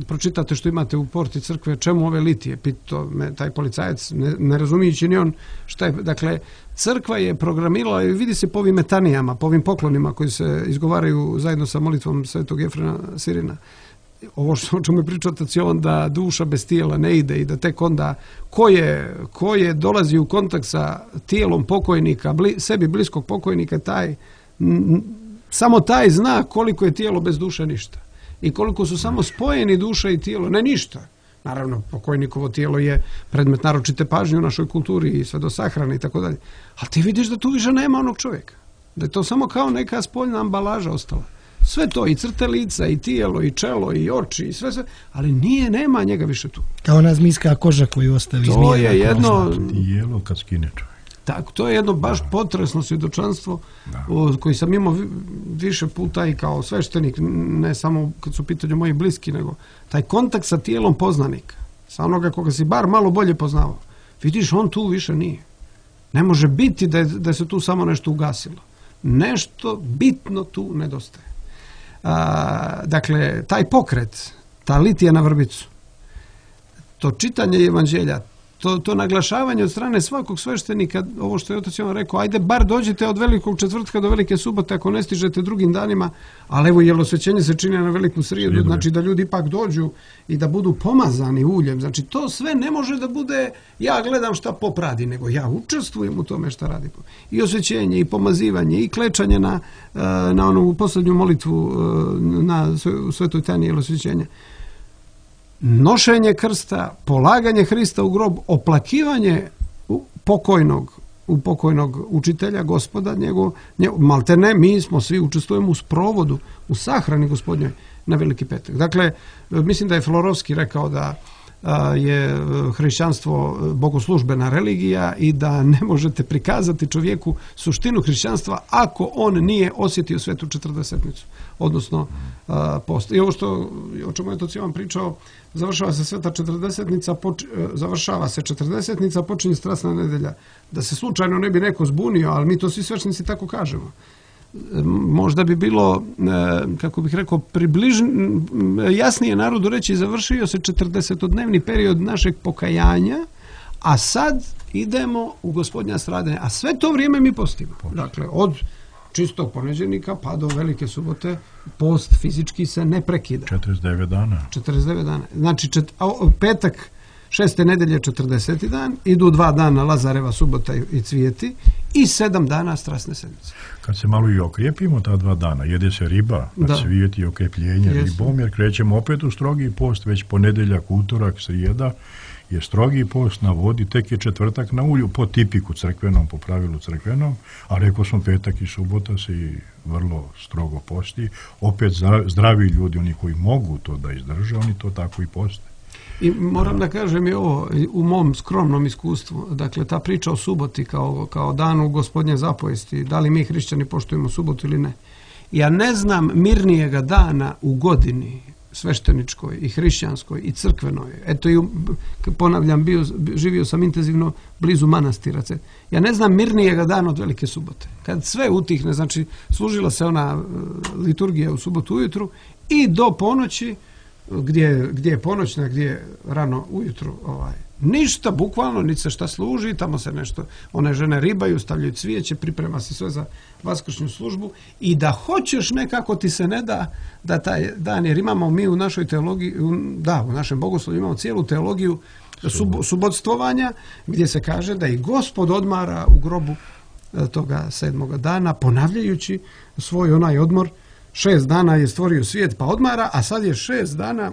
pročitate što imate u porti crkve, čemu ove litije, pitao me taj policajac, ne razumijući ni on šta je. Dakle, crkva je programirala i vidi se po ovim metanijama, po ovim poklonima koji se izgovaraju zajedno sa molitvom Svetog Jefrema Sirina. Ovo o čemu je pričao otac Jovan, da duša bez tijela ne ide i da tek onda ko je dolazi u kontakt sa tijelom pokojnika, sebi bliskog pokojnika, samo taj zna koliko je tijelo bez duše ništa. I koliko su samo spojeni duša i tijelo, ne ništa. Naravno, pokojnikovo tijelo je predmet naročite pažnje u našoj kulturi i sve do sahrane i tako dalje. Ali ti vidiš da tu više nema onog čovjeka. Da je to samo kao neka spoljna ambalaža ostala. Sve to, i crte lica, i tijelo, i čelo, i oči, i sve, ali nema njega više tu. Kao ona zmijska koža koju ostavi zmija. To je jedno... Tijelo kad skine čovjek. Tako, to je jedno baš potresno svjedočanstvo koji sam imao više puta i kao sveštenik, ne samo kad su u pitanju moji bliski, nego taj kontakt sa tijelom poznanika, sa onoga koga si bar malo bolje poznavao. Vidiš, on tu više nije. Ne može biti da se tu samo nešto ugasilo. Nešto bitno tu nedostaje. Dakle, taj pokret, ta litija na vrbicu, to čitanje evanđelja, to naglašavanje od strane svakog sveštenika, ovo što je otac Jovan rekao, ajde bar dođite od velikog četvrtka do velike subote ako ne stižete drugim danima, ali evo jelosvećenje se čini na veliku srijedu, znači da ljudi ipak dođu i da budu pomazani uljem. Znači to sve ne može da bude ja gledam šta pop radi, nego ja učestvujem u tome šta radi. I osvećenje, i pomazivanje, i klečanje na onu posljednju molitvu na svetoj tajni jelosvećenja. Nošenje krsta, polaganje Hrista u grob, oplakivanje pokojnog učitelja, gospoda, maltene, mi smo svi učestvujemo u sprovodu, u sahrani gospodnjoj na Veliki petak. Dakle, mislim da je Florovski rekao da je hrišćanstvo bogoslužbena religija i da ne možete prikazati čovjeku suštinu hrišćanstva ako on nije osjetio svetu četrdesetnicu, odnosno post. I ovo o čemu je to Jovan pričao, završava se sveta četrdesetnica, završava se četrdesetnica, počinje strasna nedelja. Da se slučajno ne bi neko zbunio, ali mi to svi svečnici tako kažemo. Možda bi bilo, kako bih rekao, jasnije narodu reći, završio se 40-dnevni period našeg pokajanja, a sad idemo u gospodnja stradanja. A sve to vrijeme mi postimo. Dakle, od čistog ponedjeljnika pa do velike subote post fizički se ne prekida. 49 dana. 49 dana. Znači petak 6. nedelje 40. dan, idu 2 dana Lazareva subota i cvijeti i 7 dana strasne sedmice. Kad se malo i okrijepimo ta 2 dana, jede se riba, cvijeti i okrepljenje ribom, jer krećemo opet u strogi post, već ponedjeljak, utorak, srijeda je strogi post na vodi, tek je četvrtak na ulju, po tipiku crkvenom, po pravilu crkvenom, a rekao sam petak i subota se i vrlo strogo posti. Opet zdravi ljudi, oni koji mogu to da izdrže, oni to tako i poste. I moram da kažem i ovo, u mom skromnom iskustvu, dakle ta priča o suboti kao danu Gospodnje zapovesti, da li mi hrišćani poštujemo subotu ili ne. Ja ne znam mirnijega dana u godini svešteničkoj i hrišćanskoj i crkvenoj. Eto i ponavljam, živio sam intenzivno blizu manastira. Ja ne znam mirnijega dana od velike subote. Kad sve utihne, znači služila se ona liturgija u subotu ujutru i do ponoći, gdje je ponoćna, gdje je rano ujutru, ništa, bukvalno, niti se šta služi, tamo se nešto, one žene ribaju, stavljaju cvijeće, priprema se sve za vaskršnju službu i da hoćeš nekako ti se ne da taj dan, jer imamo mi u našoj teologiji, u našem bogoslovu imamo cijelu teologiju subotstvovanja, gdje se kaže da i Gospod odmara u grobu toga 7. dana, ponavljajući svoj onaj odmor. 6 dana je stvorio svijet pa odmara, a sad je 6 dana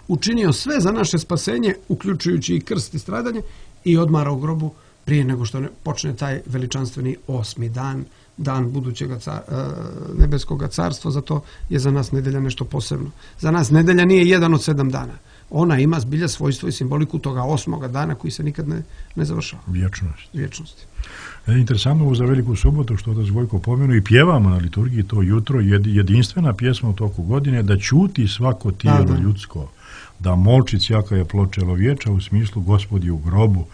učinio sve za naše spasenje, uključujući i krst i stradanje, i odmara u grobu prije nego što počne taj veličanstveni 8. dan budućeg nebeskog carstva. Zato je za nas nedelja nešto posebno. Za nas nedelja nije jedan od 7 dana. Ona ima zbilja svojstvo i simboliku toga 8. dana koji se nikad ne završava. Vječnosti. Interesantno za veliku subotu, što da Gojko pomenu, i pjevamo na liturgiji to jutro, jedinstvena pjesma u toku godine, da ćuti svako tijelo ljudsko, da molči sjaka je pločelo vječa, u smislu Gospodi u grobu,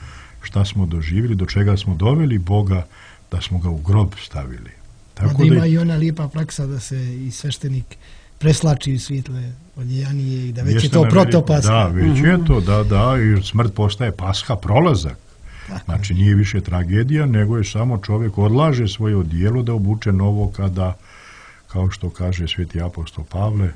šta smo doživjeli, do čega smo doveli Boga, da smo ga u grob stavili. Tako da ima i ona lijepa praksa da se i sveštenik preslači u svijetle odjejanije i da već je to protopaska. Da, već je to, da, i smrt postaje paska, prolazak. Znači nije više tragedija, nego je samo čovjek odlaže svoje odijelo da obuče novo kada, kao što kaže sveti apostol Pavle,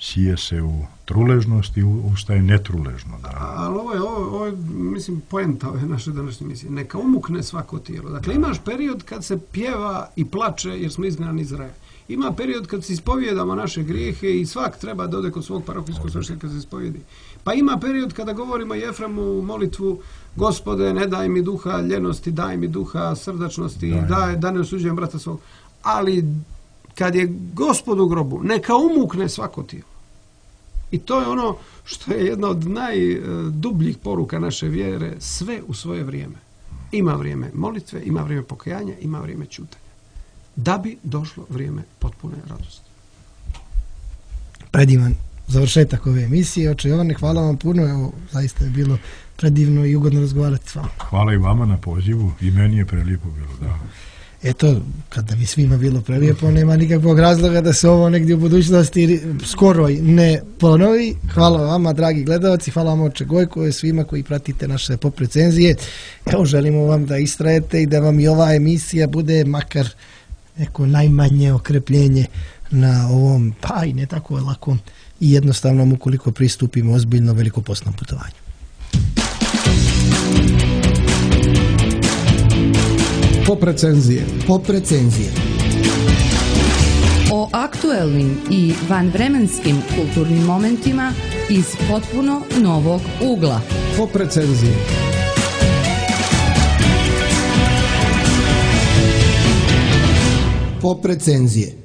sije se u truležnost i ustaje netruležno. Da. Ali ovo je, mislim, poenta ove naše današnje misije. Neka umukne svako tijelo. Dakle, imaš period kad se pjeva i plače jer smo izgnani iz raja. Ima period kad se ispovijedamo naše grijehe i svak treba da ode kod svog parokijskog sveštenika se ispovijedi. Pa ima period kada govorimo Jefremu molitvu: Gospode, ne daj mi duha ljenosti, daj mi duha srdačnosti, da ne osuđujem brata svog. Ali kad je Gospod u grobu, neka umukne svako tijelo. I to je ono što je jedna od najdubljih poruka naše vjere, sve u svoje vrijeme. Ima vrijeme molitve, ima vrijeme pokajanja, ima vrijeme ćutanja. Da bi došlo vrijeme potpune radosti. Predivan završetak ove emisije. Oče Jovane, hvala vam puno. Evo, zaista je bilo predivno i ugodno razgovarati s vama. Hvala i vama na pozivu. I meni je prelijepo bilo, da. Eto, kada bi svima bilo prelijepo, nema nikakvog razloga da se ovo negdje u budućnosti skoro ne ponovi. Hvala vama, dragi gledalci, hvala vam, oče Gojko, i svima koji pratite naše pop recenzije. Evo, želimo vam da istrajete i da vam i ova emisija bude makar neko najmanje okrepljenje na ovom, pa i ne tako lakom i jednostavnom, ukoliko pristupimo ozbiljno velikopostnom putovanju. Pop recenzije. Pop recenzije. O aktuelnim i vanvremenskim kulturnim momentima iz potpuno novog ugla. Pop recenzije. Pop recenzije.